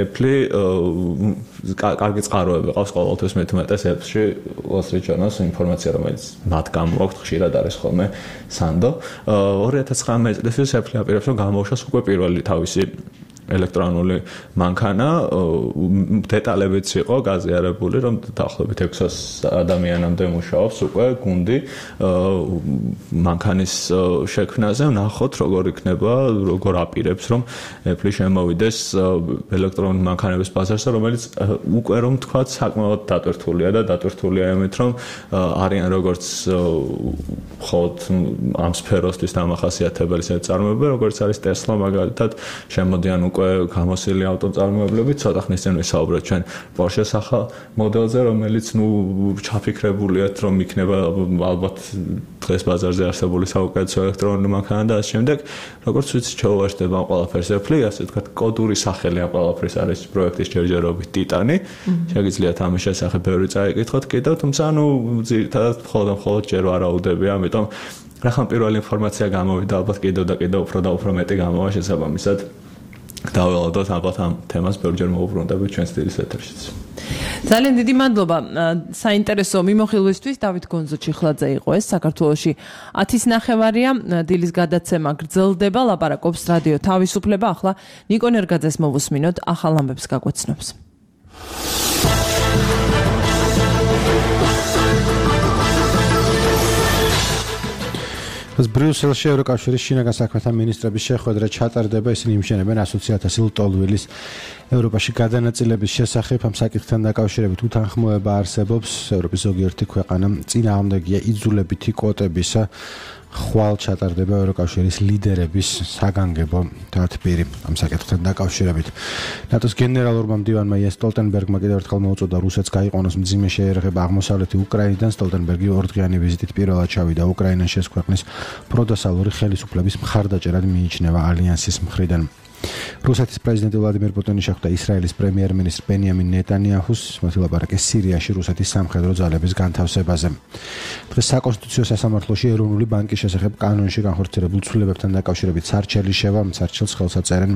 [SPEAKER 16] Apple კარგი წყაროები ყავს ყოველთვის მეთუმეტეს Apple-ში Wall Street Journal-ს ინფორმაცია, რომელიც მათ გამოაქვთ, ხშირად არის ხოლმე სანდო. ორი ათას ცხრამეტი წლისთვის Apple აპირებს, რომ გამოუშვას უკვე პირველი თავისი ელექტრონული მანქანა დეტალებიც იყო გაზიარებული, რომ დაახლოებით ექვსას ადამიანამდე მუშაობს უკვე გუნდი მანქანის შექმნაზე, ნახოთ როგორ იქნება, როგორ აპირებს რომ Apple შემოვიდეს ელექტრონული მანქანების ბაზარზე, რომელიც უკვე რომ თქვა საკმაოდ დატვირთულია და დატვირთულია იმით, რომ არიან როგორც ხოთ ამ სფეროსთვის დამახასიათებელი წარმოება, როგორც არის Tesla მაგალითად, შემოდიან უკვე გამოსილი ავტომწარმოებლები, ცოტა ხნის წინ ვისაუბრეთ ჩვენ Porsche-ს ახალ მოდელზე, რომელიც ნუ ჩაფიქრებულია, რომ იქნება ალბათ დღეს ბაზარზე არსებული საუკეთესო ელექტრონული მანქანა და ასე შემდეგ, როგორც ვიცი, ჩაუვარდება ამ ყველაფერს Apple, ასე ვთქვათ, კოდური სახელი ამ ყველაფრის არის პროექტის ჯერჯერობით Titan-ი. შეგიძლიათ ამის შესახებ ბევრი წაიკითხოთ კიდევ, თუმცა ნუ ძირითადად მხოლოდ მხოლოდ ჯერ ვარაუდები, ამიტომ რახან პირველი ინფორმაცია გამოვიდა, ალბათ კიდევ და კიდევ უფრო და უფრო მეტი გამოვა შესაბამისად. დაველოდოთ ალბათ ამ თემას ბევრჯერ მოვუბრუნდებით ჩვენს დილის ეთერშიც.
[SPEAKER 2] ძალიან დიდი მადლობა საინტერესო მიმოხილვისთვის. დავით გონზო-ჩიხლაძე იყო ეს. საქართველოში ათის ნახევარია, დილის გადაცემა გრძელდება, ლაპარაკობს რადიო თავისუფლება. ახლა ნიკო ნერგაძეს მოვუსმინოთ, ახალ ამბებს გაგვეცნობს.
[SPEAKER 3] ბრიუსელში ევროკავშირის შინაგან საქმეთა მინისტრების შეხვედრა ჩატარდება, ისინი იმშენებენ ასოციაციას ლტოლვილის ევროპაში გადანაწილების შესახებ. ამ საკითხთან დაკავშირებით უთანხმოება არსებობს. ევროპის ზოგიერთი ქვეყანა წინააღმდეგია იძულებითი კვოტებისა. ხვალ ჩატარდება ევროკავშირის ლიდერების საგანგებო დათბირი ამ საკითხთან დაკავშირებით. ნატოს გენერალურმა მდივანმა იენს სტოლტენბერგმა კიდევ ერთხელ მოუწოდა რუსეთს გაიყვანოს მძიმე შეერაღება აღმოსავლეთი უკრაინიდან. სტოლტენბერგი ორდღიანი ვიზიტით პირველად ჩავიდა უკრაინაში, ეს ქვეყნის პროდასალური ხელისუფლების მხარდაჭერად მიიჩნევა ალიანსის მხრიდან. რუსეთის პრეზიდენტი ვლადიმერ პუტინი შეხვდა ისრაელის პრემიერ-მინისტრ ბენიამინ ნეტანიაჰუს, მათი ლაპარაკი სირიაში რუსეთის სამხედრო ძალების განთავსებაზე. დღეს საკონსტიტუციო სასამართლოში ეროვნული ბანკის შესახებ კანონში განხორციელებულ ცვლილებებთან დაკავშირებით სარჩელი შევა, სარჩელს ხელს აწერენ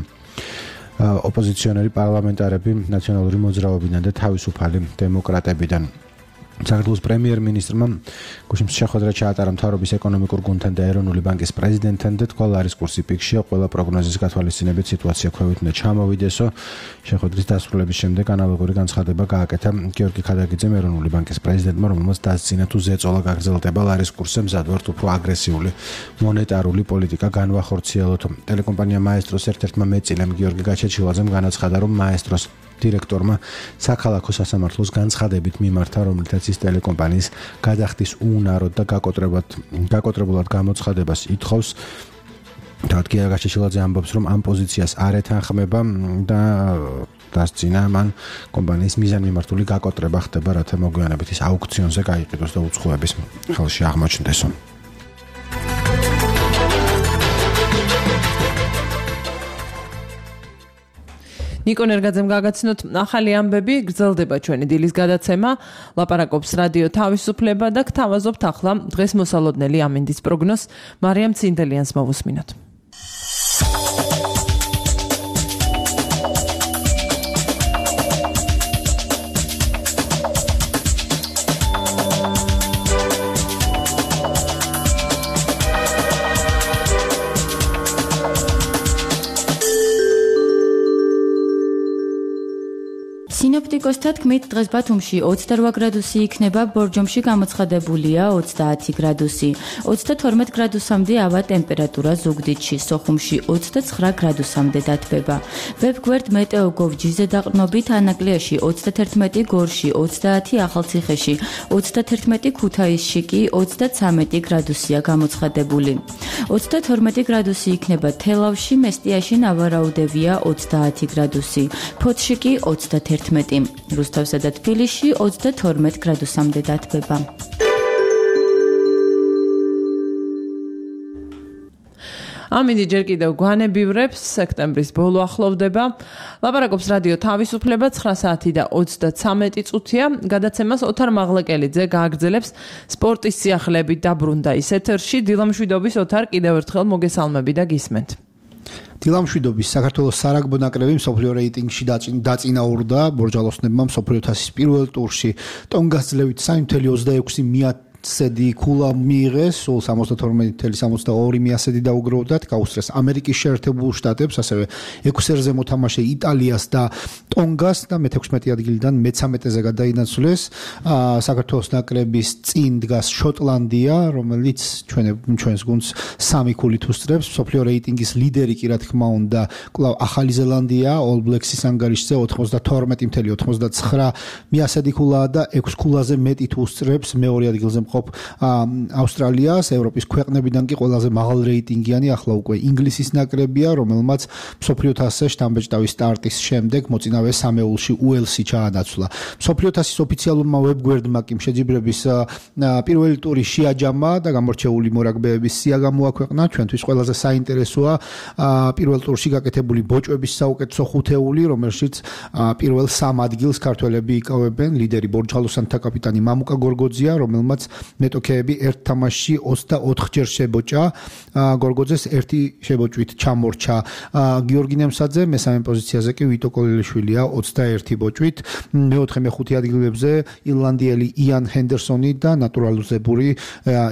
[SPEAKER 3] ოპოზიციონერი პარლამენტარები ნაციონალური მოძრაობიდან და თავისუფალი დემოკრატებიდან. საქართველოს პრემიერ-მინისტრმა გუშინს შეხვედრა ჩაატარა მთავრობის ეკონომიკურ გუნდთან და ეროვნული ბანკის პრეზიდენტთან და თქვა, ლარის კურსი პიკშია, ყველა პროგნოზის გათვალისწინებით სიტუაცია ქვევით უნდა ჩამოვიდესო. შეხვედრის დასრულების შემდეგ ანალოგური განცხადება გააკეთა გიორგი ქადაგიძემ, ეროვნული ბანკის პრეზიდენტმა, რომელმაც დასცინა თუ ზეწოლა გაგრძელდება ლარის კურსზე, მზადვართ უფრო აგრესიული მონეტარული პოლიტიკა განვახორციელოთ. ტელეკომპანია მაესტროს ერთ-ერთმა მეწილემ გიორგი გაჩეჩილაძემ განაცხადა, რომ მაესტროს დირექტორმა საქალაქო სასამართლოს განცხადებით მიმართა, რომლითაც ის ტელეკომპანიის გადახდის უუნაროდ და გაკოტრებულად გაკოტრებულად გამოცხადებას ითხოვს. თავად გიორგი გაჩეჩილაძე ამბობს, რომ ამ პოზიციას არ ეთანხმება და დასცინა მან კომპანიის მიზანმიმართული გაკოტრება ხდება, რათა მოგვიანებით ის აუქციონზე გაიყიდოს და უცხოების ხელში აღმოჩნდესო.
[SPEAKER 2] ნიკო ნერგაძემ გაგაცნოთ ახალი ამბები, გრძელდება ჩვენი დილის გადაცემა, ლაპარაკობს რადიო თავისუფლება და გთავაზობთ ახლა დღეს მოსალოდნელი ამინდის პროგნოზს. მარიამ ცინდელიანს მოვუსმინოთ.
[SPEAKER 17] სინოპტიკოსთა თქმით, დღეს ბათუმში ოცდარვა გრადუსი იქნება, ბორჯომში გამოცხადებულია ოცდაათი გრადუსი. ოცდათორმეტ გრადუსამდე ავა ტემპერატურა ზუგდიდში, სოხუმში ოცდაცხრა გრადუსამდე დათბება. ვებგვერდ მეტეოგოვ.ჯი-ზე დაყრდნობით ანაკლიაში ოცდათერთმეტი, გორში ოცდაათი, ახალციხეში ოცდათერთმეტი, ქუთაისში კი ოცდაცამეტი გრადუსია გამოცხადებული. ოცდათორმეტი გრადუსი იქნება თელავში, მესტიაში ნავარაუდევია ოცდაათი გრადუსი, ფოთში კი ოცდათერთმეტი. რუსთავსა და თბილისში ოცდათორმეტ გრადუსამდე დათბება.
[SPEAKER 2] ამინდი ჯერ კიდევ გვანებივრებს, სექტემბრის ბოლო ახლოვდება. ლაპარაკობს რადიო თავისუფლება, ცხრა საათი და ოცდაცამეტი წუთია. გადაცემას ოთარ მაღლეკელიძე გააგრძელებს სპორტის სიახლეებით დაბრუნდა ის ეთერში. დილამშვიდობის ოთარ, კიდევ ერთხელ მოგესალმები და გისმენთ.
[SPEAKER 18] დილამშვიდობის. საქართველოს სარაგბო ნაკრები მსოფლიო რეიტინგში დაწინაურდა ბორჯალოსნებმა მსოფლიო თასის პირველ ტურში. ტონგას ძლევით სამი ოცდაექვსი ცედი ქულა მიიღეს, სულ სამოცდათორმეტი წუთი სამოცდაორი მიასედი დაუგროვდათ, გაუსწრეს ამერიკის შეერთებულ შტატებს, ასევე ექვსერზე მოთამაშე იტალიას და ტონგას და მეთექვსმეტი ადგილიდან მეცამეტეზე გადაინაცვლეს. საქართველოს ნაკრების წინ დგას შოტლანდია, რომელიც ჩვენ ჩვენს გუნდს სამი ქულით უსწრებს. მსოფლიო რეიტინგის ლიდერი კი რა თქმა უნდა კვლავ ახალი ზელანდია, All Blacks-ის ანგარიშზე ოცდათორმეტი წუთი ოცდაცხრა მიასედი ქულაა და ექვს ქულაზე მეტი თუ უსწრებს მეორე ადგილზე მყოფ ავსტრალიას. ევროპის ქვეყნებიდან კი ყველაზე მაღალ რეიტინგიანი ახლა უკვე ინგლისის ნაკრებია, რომელმაც მსოფლიო თასზე შტამბეჭდავის სტარტის შემდეგ მოწინავე სამეულში უელსი ჩაანაცვლა. მსოფლიო თასის ოფიციალურმა ვებგვერდმა კი შეჯიბრების პირველი ტური შეაჯამა და გამორჩეული მორაგბეების სია გამოაქვეყნა. ჩვენთვის ყველაზე საინტერესოა პირველ ტურში გაკეთებული ბოჭვების საუკეთესო ხუთეული, რომელშიც პირველ სამ ადგილს ქართველები იკავებენ. ლიდერი ბორჯღალოსანთა კაპიტანი მამუკა გორგოძია, რომელმაც მეტოქეები ერთ თამაშში ოცდაოთხჯერ შებოჭა. გორგოძეს ერთი შებოჭვით ჩამორჩა გიორგი ნემსაძე, მესამე პოზიციაზე კი ვიტო კოლელიშვილია ოცდაერთი ბოჭვით. მეოთხე მეხუთე ადგილებზე ირლანდიელი იან ჰენდერსონი და ნატურალიზებული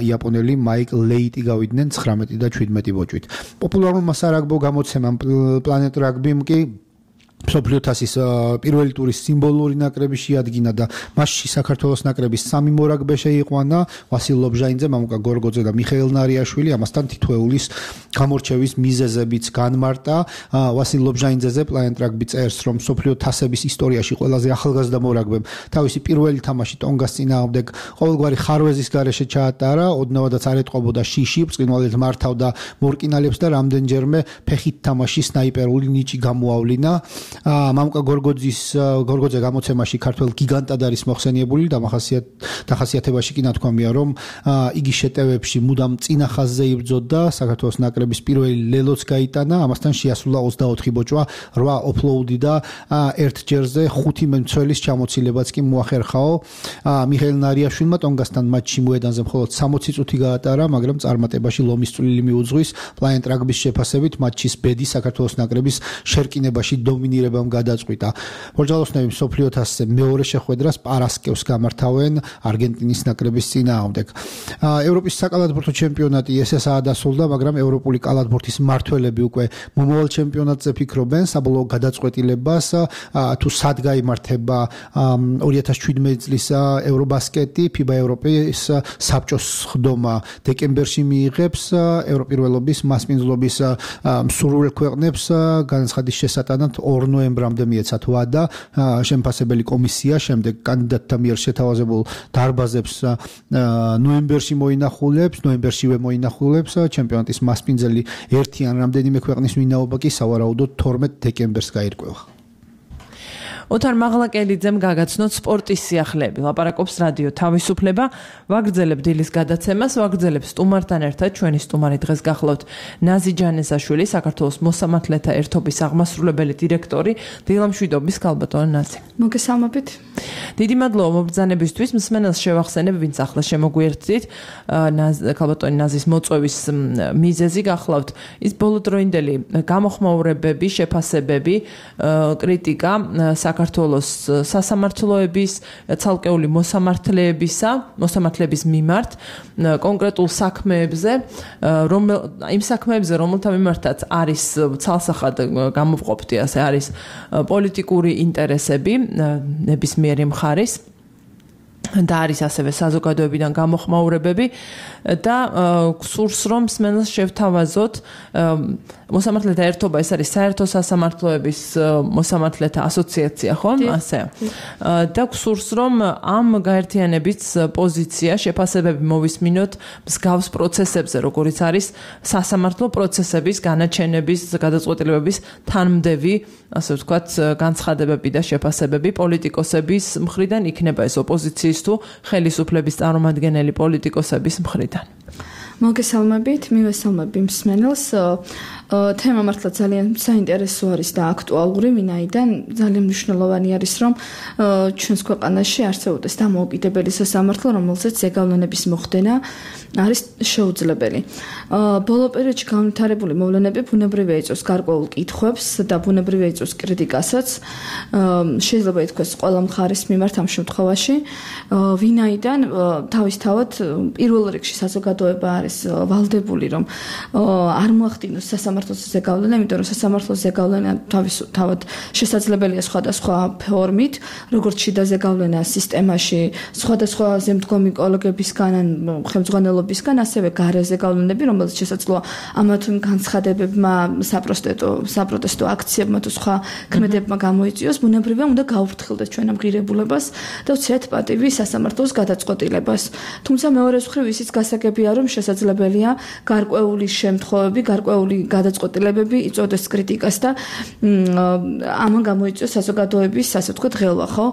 [SPEAKER 18] იაპონელი მაიკ ლეიტი გავიდნენ ცხრამეტი და შვიდმეტი ბოჭვით. პოპულარულმა სარაგბო გამოცემამ პლანეტ რაგბიმ კი მსოფლიო თასის პირველი ტურის სიმბოლური ნაკრები შეადგინა და მასში საქართველოს ნაკრების სამი მორაგბე შეიყვანა, ვასილ ლობჟაინძე, მამუკა გორგოძე და მიხეილ ნარიაშვილი. ამასთან თითოეულის გამორჩევის მიზეზებიც განმარტა. ვასილ ლობჟაინძეზე პლანეტ რაგბი წერს, რომ მსოფლიო თასების ისტორიაში ყველაზე ახალგაზრდა მორაგბემ თავისი პირველი თამაში ტონგას წინააღმდეგ ყოველგვარი ხარვეზის გარეშე ჩაატარა, ოდნავადაც არ ეტყობოდა შიში, ბრწყინვალედ მართავდა მორკინალებს და რამდენჯერმე ფეხით თამაში სნაიპერული ნიჭი გამოავლინა. მამუკა გორგოძის გორგოძე გამოცემაში ქართველ გიგანტად არის მოხსენიებული და დახასიათებაში კი ნათქვამია, რომ იგი შეტევებში მუდამ წინა ხაზზე იბრძოდა, საქართველოს ნაკრების პირველი ლელოც გაიტანა, ამასთან შეასრულა ოცდაოთხი ბოჭვა, რვა ოფლოუდი და ერთ ჯერზე ხუთი მემცველის ჩამოცილებაც კი მოახერხაო. მიხეილ ნარიაშვილმა ტონგასთან მატჩში მოედანზე მხოლოდ სამოცი წუთი გაატარა, მაგრამ წარმატებაში ლომის წვლილი მიუძღვის. პლანეტ რაგბის შეფასებით მატჩის ბედი საქართველოს ნაკრების შერკინებაში დომინირებამ გადაწყვიტა. ბორჯალოსნები მსოფლიო თასზე მეორე შეხვედრას პარასკევს გამართავენ არგენტინის ნაკრების წინააღმდეგ. ევროპის საკალათბურთო ჩემპიონატი ესესაა დასრულდა, მაგრამ ევროპული კალათბურთის მმართველები უკვე მომავალ ჩემპიონატზე ფიქრობენ. საბოლოო გადაწყვეტილებას თუ სად გაიმართება ორი ათას შვიდმეტი წლის ევრობასკეტი, ფიბა ევროპის საბჭოს ხდომა დეკემბერში მიიღებს. ევროპირველობის მასპინძლობის მსურველ ქვეყნებს განაცხადის შესატანად ორ ნოემბრამდე მიეცათ ვადა. შემფასებელი კომისია შემდეგ კანდიდატთა მიერ შეთავაზებულ დარბაზებს ნოემბერში მოინახულებს, ნოემბერშივე მოინახულებს. ჩემპიონატის მასპინძელი ერთი ან რამდენიმე ქვეყნის ვინაობა კი სავარაუდოდ თორმეტ დეკემბერს გაირკვევა.
[SPEAKER 2] ოთარ მაღლაკელიძემ გაგაცნოთ სპორტის სიახლეები. ლაპარაკობს რადიო თავისუფლება. ვაგრძელებ დილის გადაცემას, ვაგრძელებ სტუმართან ერთად. ჩვენი სტუმარი დღეს გახლავთ ნაზი ჯანესაშვილი, საქართველოს მოსამართლეთა ერთობის აღმასრულებელი დირექტორი. დილამშვიდობის ქალბატონო ნაზი.
[SPEAKER 19] მოგესალმებით.
[SPEAKER 2] დიდი მადლობა მობრძანებისთვის. მსმენელს შევახსენებ, ვინც ახლა შემოგვიერთდით. ქალბატონი ნაზის მოწვევის მიზეზი გახლავთ ის ბოლოდროინდელი გამოხმაურებები, შეფასებები, კრიტიკა საქართველოს სასამართლოების, ცალკეული მოსამართლეებისა, მოსამართლეების მიმართ კონკრეტულ საქმეებზე, რომ იმ საქმეებზე, რომელთა მიმართაც არის ცალსახად გამოვყოფდი, ასე არის პოლიტიკური ინტერესები ნებისმიერი მხარის და არის ასევე საზოგადოებიდან გამოხმაურებები და გსურს რომ მსმენელს შევთავაზოთ მოსამართლეთა ერთობა, ეს არის საერთო სასამართლოების მოსამართლეთა ასოციაცია, ხო? ასე. და გსურს რომ ამ გაერთიანების პოზიცია, შეფასებები მოვისმინოთ მსგავს პროცესებზე, როგორიც არის სასამართლო პროცესების, განაჩენების, გადაწყვეტილებების თანმდევი, ასე ვთქვათ, განცხადებები და შეფასებები პოლიტიკოსების მხრიდან, იქნება ეს ოპოზიციის თუ ხელისუფლების წარმომადგენელი პოლიტიკოსების მხრიდან.
[SPEAKER 19] მოგესალმებით, მივესალმები მსმენელს. თემა მართლა ძალიან საინტერესო არის და აქტუალური, ვინაიდან ძალიან მნიშვნელოვანი არის, რომ ჩვენს ქვეყანაში არსებობდეს დამოუკიდებელი სასამართლო, რომელზეც ზეგავლენების მოხდენა არის შეუძლებელი. ბოლო პერიოდში განვითარებული მოვლენები ბუნებრივია იწვევს გარკვეულ კითხვებს და ბუნებრივია იწვევს კრიტიკასაც. შეიძლება ითქვას ყველა მხარის მიმართ ამ შემთხვევაში, ვინაიდან თავისთავად პირველ რიგში საზოგადოება არის ვალდებული, რომ არ მოახდინოს სასამართლოს ზეგავლენა, იმიტომ რომ სასამართლოს ზეგავლენა თავისთავად შესაძლებელია სხვადასხვა ფორმით, როგორც შიდა ზეგავლენა სისტემაში, სხვადასხვა ზემდგომი კოლეგებისგან, ხელმძღვანელობისგან, ასევე გარე ზეგავლენები, რომელიც შესაძლოა ამა თუ იმ განცხადებებმა, საპროტესტო საპროტესტო აქციებმა თუ სხვა ქმედებმა გამოიწვიოს, ბუნებრივია უნდა გაუფრთხილდეს ჩვენ ამ ღირებულებას და ვცეთ პატივი სასამართლოს გადაწყვეტილებას. თუმცა მეორე მხრივ ისიც გასაგებია, რომ შესაძლებელია გარკვეული შემთხვევები, გარკვეული გადაწყვეტილებები იწვევდეს კრიტიკას და ამან გამოიწვიოს საზოგადოების, ასე ვთქვათ, ღელვა, ხო?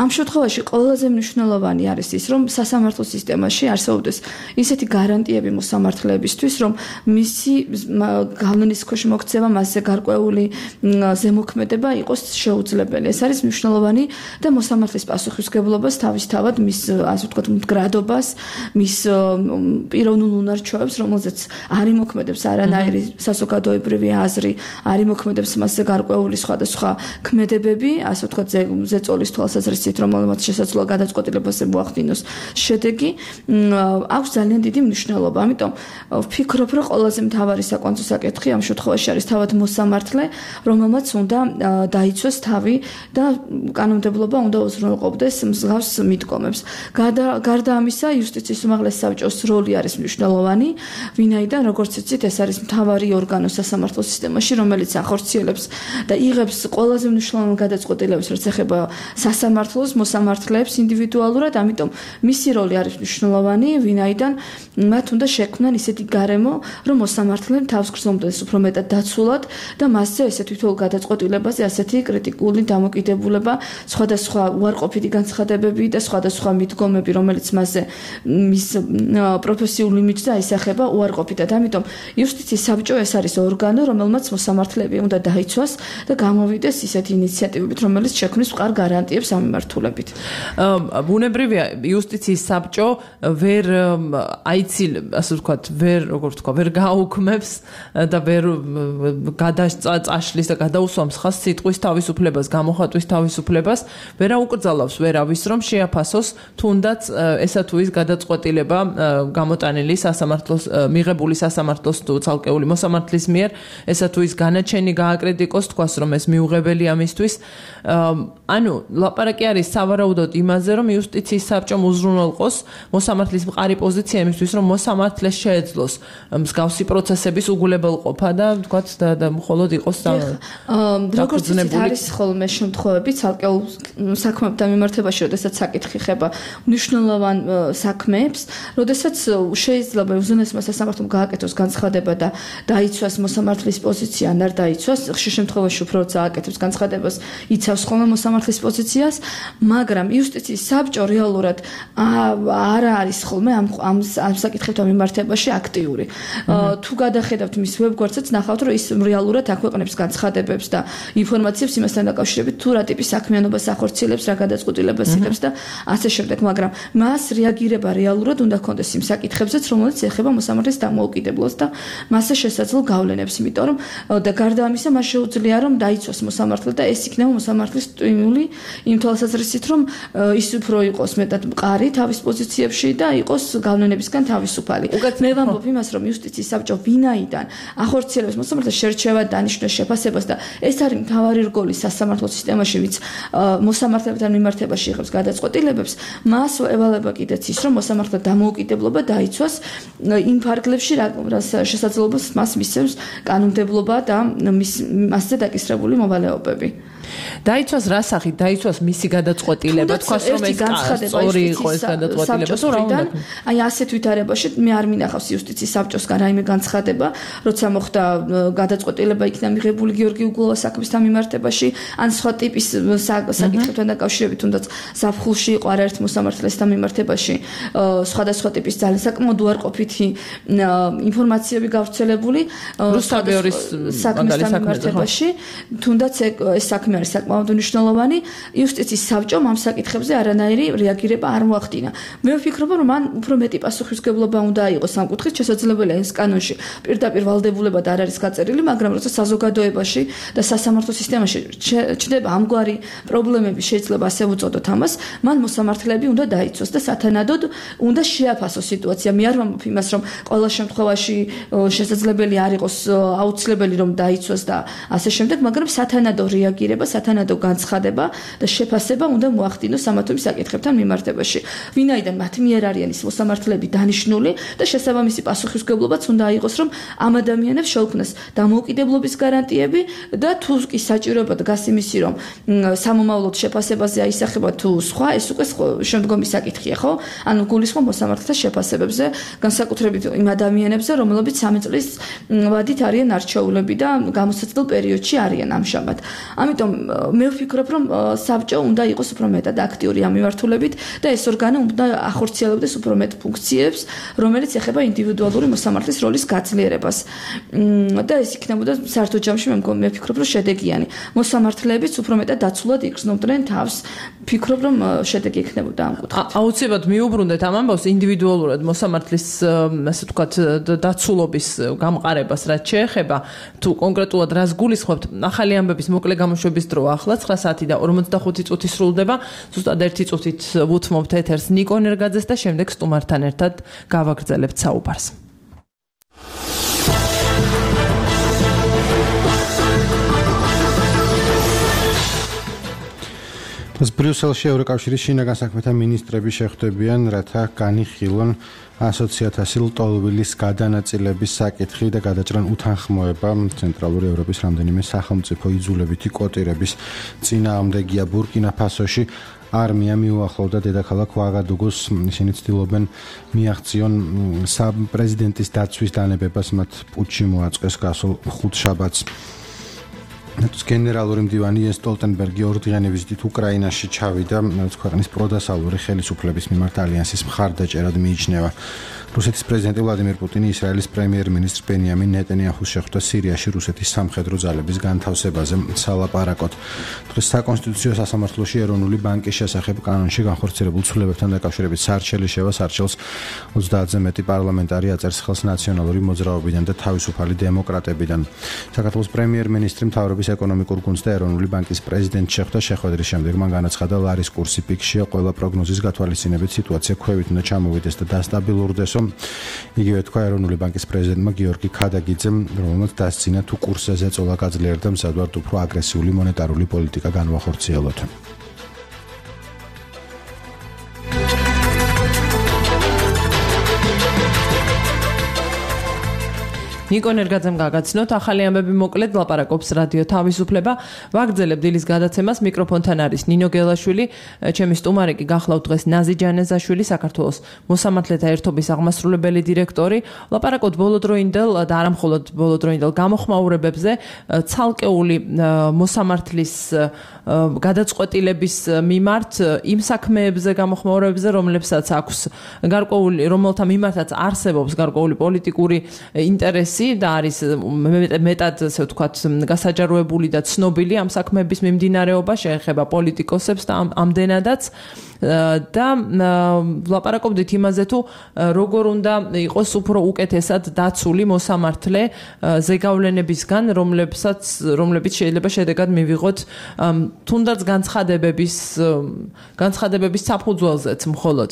[SPEAKER 19] ამ შემთხვევაში ყველაზე მნიშვნელოვანი არის ის, რომ სასამართლო სისტემაში არსებობდეს ისეთი გარანტიები მოსამართლეებისთვის, რომ მისი გავლენის ქვეშ მოქცევა, მასზე გარკვეული ზემოქმედება იყოს შეუძლებელი. ეს არის მნიშვნელოვანი და მოსამართლის პასუხისმგებლობას თავისთავად მის, ასე ვთქვათ, მდგრადობას, მის პიროვნულ უნარჩვევებს, რომელზეც არ იმოქმედებს არანაირი საზოგადოებრივი აზრი, არ იმოქმედებს მასზე გარკვეული სხვადასხვა ქმედებები, ასე ვთქვათ, ზეწოლის თვალსაზრისით, რომელმაც შესაძლოა გადაწყვეტილებაზე მოახდინოს შედეგი, აქვს ძალიან დიდი მნიშვნელობა. ამიტომ ვფიქრობ, რომ ყველაზე მთავარი საკვანძო საკითხი ამ შემთხვევაში არის თავად მოსამართლე, რომელმაც უნდა დაიცვას თავი და კანონმდებლობა უნდა უზრუნველყოფდეს მსგავს მიდგომებს. გარდა ამისა, იუსტიციის უმაღლესი საბჭოს როლი არის მნიშვნელოვანი, ვინაიდან, როგორც იცით, ეს არის მთავარი ორგანო სასამართლო სისტემაში, რომელიც ახორციელებს და იღებს ყველაზე მნიშვნელოვან გადაწყვეტილებებს, რაც ეხება სასამართლოს, მოსამართლეებს ინდივიდუალურად, ამიტომ მისი როლი არის მნიშვნელოვანი, ვინაიდან მათ უნდა შექმნან ისეთი გარემო, რომ მოსამართლემ თავს გრძნობდეს უფრო მეტად დაცულად და მასზე ესე თვითონ გადაწყვეტილებაზე ასეთი კრიტიკული დამოკიდებულება, სხვადასხვა უარყოფითი განცხადებები და სხვადასხვა მიდგომები, რომელიც მასზე მის პროფესიულ იმიჯს აისახება უარყოფითად. ამიტომ იუსტიციის საბჭო ეს არის ორგანო, რომელმაც მოსამართლეები უნდა დაიცვას და გამოვიდეს ისეთი ინიციატივებით, რომელიც შექმნის მყარ გარანტიებს ამ მიმართულებით.
[SPEAKER 2] ბუნებრივია, იუსტიციის საბჭო ვერ აიცილ, ასე ვთქვათ, ვერ, როგორ ვთქვა, ვერ გააუქმებს და ვერ გადაწაშლის და გადაუსვამს ხას სიტყვის თავისუფლებას, გამოხატვის თავისუფლებას, ვერ აუკრძალავს ვერავის, რომ შეაფასოს თუნდაც ესა თუ ის გადაწყვეტილება გამოტანილი სასამართლოს, მიღებული სასამართლოს თუ ცალკეული მოსამართლის მიერ, ესა თუ ის განაჩენი გააკრიტიკოს, თქვას, რომ ეს მიუღებელია მისთვის. ანუ ლაპარაკი არის სავარაუდოდ იმაზე, რომ იუსტიციის საბჭომ უზრუნველყოს მოსამართლის მყარი პოზიცია იმისთვის, რომ მოსამართლეს შეეძლოს მსგავსი პროცესების უგულებელყოფა და თქვათ და მხოლოდ იყოს და
[SPEAKER 19] როგორც არის ხოლმე შემთხვევები ცალკეულ საქმეებთან მიმართებაში, როდესაც საკითხი ხება მნიშვნელოვან საქმეებს, როდესაც შეიძლება უზენაესმა სასამართლომ გააკეთოს განცხადება და დაიცვას მოსამართლის პოზიცია, ან არ დაიცვას, ხშირ შემთხვევაში უფრო წააკეთებს განცხადებას, იცავს ხოლმე მოსამართლის პოზიციას, მაგრამ იუსტიციის საბჭო რეალურად არ არის ხოლმე ამ ამ საკითხებთან მიმართებაში აქტიური. თუ გადახედავთ მის ვებგვერდსაც, ნახავთ, რომ ის რეალურად აქვეყნებს განცხადებებს და ინფორმაციებს იმასთან დაკავშირებით, თუ რა ტიპის საქმიანობას ახორციელებს, რა გადაწყვეტილებას იღებს და ასე შემდეგ, მაგრამ მას რეაგირება რეალურად უნდა ჰქონდეს იმ საკითხებზეც, რომელიც ეხება მოსამართლის დამოუკიდებლობას და მასზე შესაძლო გავლენებს, იმიტომ რომ და გარდა ამისა, მას შეუძლია რომ დაიცვას მოსამართლე და ეს იქნება მოსამართლის სტიმული იმ თვალსაზრისით, რომ ის უფრო იყოს მეტად მყარი თავის პოზიციებში და იყოს გავლენებისგან თავისუფალი. მე ვამბობ იმას, რომ იუსტიციის საბჭო ვინაიდან ახორციელებს მოსამართლეს შერჩევად დანიშნოს შეფასებას და ეს არის მთავარი რგოლი სასამართლო სისტემაში, ვინც მოსამართლებთან მიმართებაში იღებს გადაწყვეტილებებს, მას ევალება კიდეც ის, რომ მოსამართლე დამოუკიდებლობა დაიცვას იმ ფარგლებში, რაც შესაძლებლობას მას მისცემს კანონმდებლობა და მასზე დაკისრებული მოვალეობები.
[SPEAKER 2] დაიცვას რა სახით დაიცვას მისი გადაწყვეტილება თქვას რომ ეს სწორი იყო ეს გადაწყვეტილება თუ რა უნდა
[SPEAKER 19] აი ასეთ ვითარებაში მე არ მინახავს იუსტიციის საბჭოსგან რაიმე განცხადება როცა მოხდა გადაწყვეტილება იქნა მიღებული გიორგი უგულოვას საქმისთან მიმართებაში ან სხვა ტიპის საკითხებთან დაკავშირებით თუნდაც ზაფხულში იყო არაერთ მოსამართლესთან მიმართებაში სხვადასხვა ტიპის ძალიან საკმაოდ უარყოფითი ინფორმაციები გავრცელებული
[SPEAKER 2] რუსთავის
[SPEAKER 19] საქმისთან მიმართებაში თუნდაც ეს საქმე არის საკმაოდ მნიშვნელოვანი იუსტიციის საბჭომ ამ საკითხებზე არანაირი რეაგირება არ მოახდინა მე ვფიქრობ რომ მან უფრო მეტი პასუხისმგებლობა უნდა აიღოს ამ კუთხით შესაძლებელია ეს კანონში პირდაპირ ვალდებულებად არ არის გაწერილი მაგრამ როცა საზოგადოებაში და სასამართლო სისტემაში ჩნდება ამგვარი პრობლემები შეიძლება ასე უწოდოთ ამას მან მოსამართლეები უნდა დაიცვას და სათანადოდ უნდა შეაფასოს სიტუაცია მე არ ვამბობ იმას რომ ყველა შემთხვევაში შესაძლებელი არ იყოს აუცილებელი რომ დაიცვას და ასე შემდეგ მაგრამ სათანადო რეაგირება სათანადო განცხადება და შეფასება უნდა მოახდინოს სამართლის საკითხებთან მიმართებაში ვინაიდან მათ მიერ არიან ის მოსამართლეები დანიშნული და შესაბამისი პასუხისმგებლობაც უნდა აიღოს რომ ამ ადამიანებს შეუქმნას დამოუკიდებლობის გარანტიები და თუ კი საჭიროება დგას იმისი რომ სამომავლოდ შეფასებაზე აისახება თუ სხვა ეს უკვე შემდგომი საკითხია ხო ანუ გულისხმობ მოსამართლეთა შეფასებებზე განსაკუთრებით იმ ადამიანებზე რომლებიც სამი წლის ვადით არიან არჩეულები და გამოსაცდელ პერიოდში არიან ამჟამად ამიტომ მე ვფიქრობ რომ საბჭო უნდა იყოს უფრო მეტად აქტიური ამ მიმართულებით და ეს ორგანო უნდა ახორციელებდეს უფრო მეტ ფუნქციებს რომელიც ეხება ინდივიდუალური მოსამართლის როლის გაძლიერებას და ეს იქნებოდა საერთო ჯამში მე მე ვფიქრობ რომ შედეგიანი მოსამართლეებიც უფრო მეტად დაცულად იგრძნობდნენ თავს ვფიქრობ რომ შედეგი იქნებოდა ამ კუთხით
[SPEAKER 2] აუცილებლად მიუბრუნდეთ ამ ამბავს ინდივიდუალურად მოსამართლის ასე ვთქვათ დაცულობის გამყარებას რაც შეეხება თუ კონკრეტულად რას გულისხმობთ ახალი ამბების მოკლე გამოშვების დრო ახლა ცხრა საათი და ორმოცდახუთი წუთი სრულდება ზუსტად ერთი წუთით ვუთმობთ ეთერს ნიკო ნერგაძეს და შემდეგ სტუმართან ერთად გავაგრძელებთ საუბარს
[SPEAKER 3] ბრიუსელში ევროკავშირის შინაგან საქმეთა მინისტრები შეხვდებიან, რათა განიხილონ ასოციაციათასი ლტოლვილის გადანაწილების საკითხი და გადაჭრან უთანხმოება ცენტრალური ევროპის რამდენიმე სახელმწიფო იძულებითი კოტირების წინააღმდეგია ბურკინა-ფასოში არმია მიუახლოვდა დედაქალაქ უაგადუგუს ისინი ცდილობენ მიაღწიონ პრეზიდენტის დაცვის დანებებას მათ პუტჩი მოაწყეს გასულ ხუთშაბათს ნატოს გენერალური მდივანი იენს სტოლტენბერგი ორ დღიანი ვიზიტით უკრაინაში ჩავიდა, რაც ქვეყნის პროდასავლური ხელისუფლების მიმართ ალიანსის მხარდაჭერად მიიჩნევა. რუსეთის პრეზიდენტი ვლადიმერ პუტინი ისრაელის პრემიერ-მინისტრ ბენიამინ ნეტანიაჰუს შეხვდა სირიაში რუსეთის სამხედრო ძალების განთავსებაზე სალაპარაკოდ. დღეს საკონსტიტუციო სასამართლოში ეროვნული ბანკის შესახებ კანონში განხორციელებულ ცვლილებებთან დაკავშირებით სარჩელი შევა სარჩელს ოცდაათზე მეტი პარლამენტარი აწერს ხელს ნაციონალური მოძრაობიდან და თავისუფალი დემოკრატებიდან. საქართველოს პრემიერ-მინისტრი მთავრობის ეკონომიკურ გუნდს და ეროვნული ბანკის პრეზიდენტს შეხვდა შეხვედრის შემდეგ მან განაცხადა ლარის კურსი პიკშია ყველა პროგნოზის გათვალისწინებით სიტუაცია ქვევით უნდა ჩამოვიდეს და დასტაბილურდეს. იგივე თქვა ეროვნული ბანკის პრეზიდენტმა გიორგი ქადაგიძემ, რომელმაც დასცინა თუ კურსზე ზეწოლა გაძლიერდა მზადვართ უფრო აგრესიული მონეტარული პოლიტიკა განვახორციელოთ.
[SPEAKER 2] ნიკო ნერგაძემ გაგაცნოთ ახალი ამბები მოკლედ ლაპარაკობს რადიო თავისუფლება ვაგრძელებ დილის გადაცემას მიკროფონთან არის ნინო გელაშვილი ჩემი სტუმარი კი გახლავთ დღეს ნაზი ჯანეზაშვილი საქართველოს მოსამართლეთა ერთობის აღმასრულებელი დირექტორი ლაპარაკობთ ბოლოდროინდელ და არა მხოლოდ ბოლოდროინდელ გამოხმაურებებზე ცალკეული მოსამართლის გადაწყვეტილების მიმართ იმ საქმეებზე გამოხმაურებებზე რომლებსაც აქვს გარკვეული რომელთა მიმართაც არსებობს გარკვეული პოლიტიკური ინტერესი და არის მეტად ასე ვთქვათ გასაჯაროებული და ცნობილი ამ საქმეების მიმდინარეობა შეეხება პოლიტიკოსებს და ამდენადაც და ლაპარაკობდით იმაზე თუ როგორ უნდა იყოს უფრო უკეთესად დაცული მოსამართლე ზეგავლენებისგან რომლებსაც რომლებიც შეიძლება შედეგად მივიღოთ თუნდაც განცხადებების განცხადებების საფუძველზეც მხოლოდ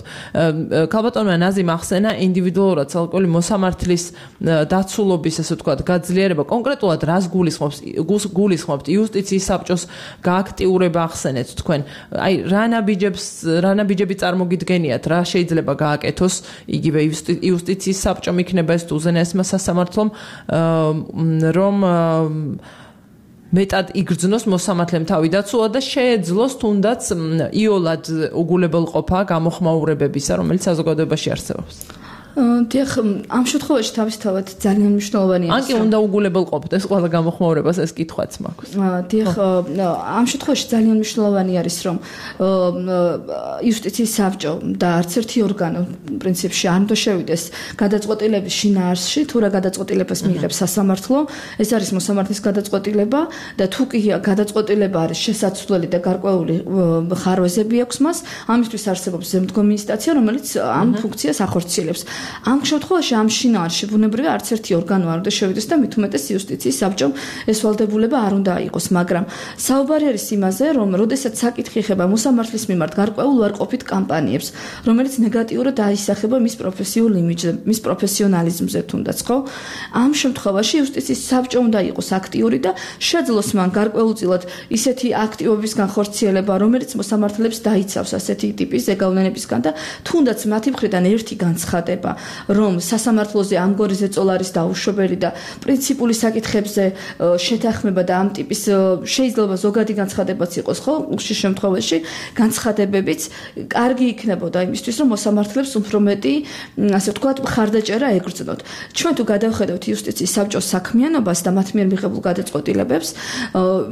[SPEAKER 2] ქალბატონმა ნაზიმ ახსენა ინდივიდუალურად ცალკეული მოსამართლის დაცულობის ასე ვთქვათ გაძლიერება კონკრეტულად რას გულისხმობს გულისხმობთ იუსტიციის საბჭოს გააქტიურება ახსენეთ თქვენ აი რა ნაბიჯებს რა ნაბიჯები წარმოგიდგენიათ რა შეიძლება გააკეთოს იგივე იუსტიციის საბჭომ იქნება ეს უზენაესმა სასამართლომ რომ მეტად იგრძნოს მოსამართლემ თავი დაცულა და შეეძლოს თუნდაც იოლად უგულებელყოფა გამოხმაურებებისა, რომელიც საზოგადოებაში არსებობს.
[SPEAKER 19] დიახ, ამ შემთხვევაში თავისთავად ძალიან მნიშვნელოვანია.
[SPEAKER 2] ან კი უნდა უგულებელყოფდეს ყველა გამოხმაურებას, ეს კითხვაც მაქვს.
[SPEAKER 19] დიახ, ამ შემთხვევაში ძალიან მნიშვნელოვანი არის, რომ იუსტიციის საბჭო და არც ერთი ორგანო პრინციპში არ უნდა შევიდეს გადაწყვეტილების შინაარსში, თუ რა გადაწყვეტილებას მიიღებს სასამართლო, ეს არის მოსამართლის გადაწყვეტილება და თუ კი გადაწყვეტილება არის შესაძლებელი და გარკვეული ხარვეზები აქვს მას, ამისთვის არსებობს ზემდგომი ინსტანცია, რომელიც ამ ფუნქციას ახორციელებს. ამ შემთხვევაში ამ შინაარსში ბუნებრივია არც ერთი ორგანო არ უნდა შევიდეს და მით უმეტეს იუსტიციის საბჭომ ეს ვალდებულება არ უნდა იყოს, მაგრამ საუბარი არის იმაზე, რომ როდესაც საკითხი ეხება მოსამართლის მიმართ გარკვეულ უარყოფით კამპანიებს, რომელიც ნეგატიურად აისახება მის პროფესიულ იმიჯზე, მის პროფესიონალიზმზე თუნდაც, ხო? ამ შემთხვევაში იუსტიციის საბჭო უნდა იყოს აქტიური და შეძლოს მან გარკვეულწილად ისეთი აქტივობის განხორციელება, რომელიც მოსამართლებს დაიცავს ასეთი ტიპის ზეგავლენებისგან და თუნდაც მათი მხრიდან ერთი განცხადება რომ სასამართლოზე ამგვარი ზეწოლა არის დაუშვებელი და პრინციპული საკითხებზე შეთანხმება და ამ ტიპის შეიძლება ზოგადი განცხადებაც იყოს, ხო? უშიშ შემთხვევაში განცხადებებიც კარგი იქნებოდა იმისთვის, რომ მოსამართლებს უფრო მეტი, ასე ვთქვათ, მხარდაჭერა ეკრძნოთ. ჩვენ თუ გადავხედავთ იუსტიციის საბჭოს საქმიანობას და მათ მიერ მიღებულ გადაწყვეტილებებს,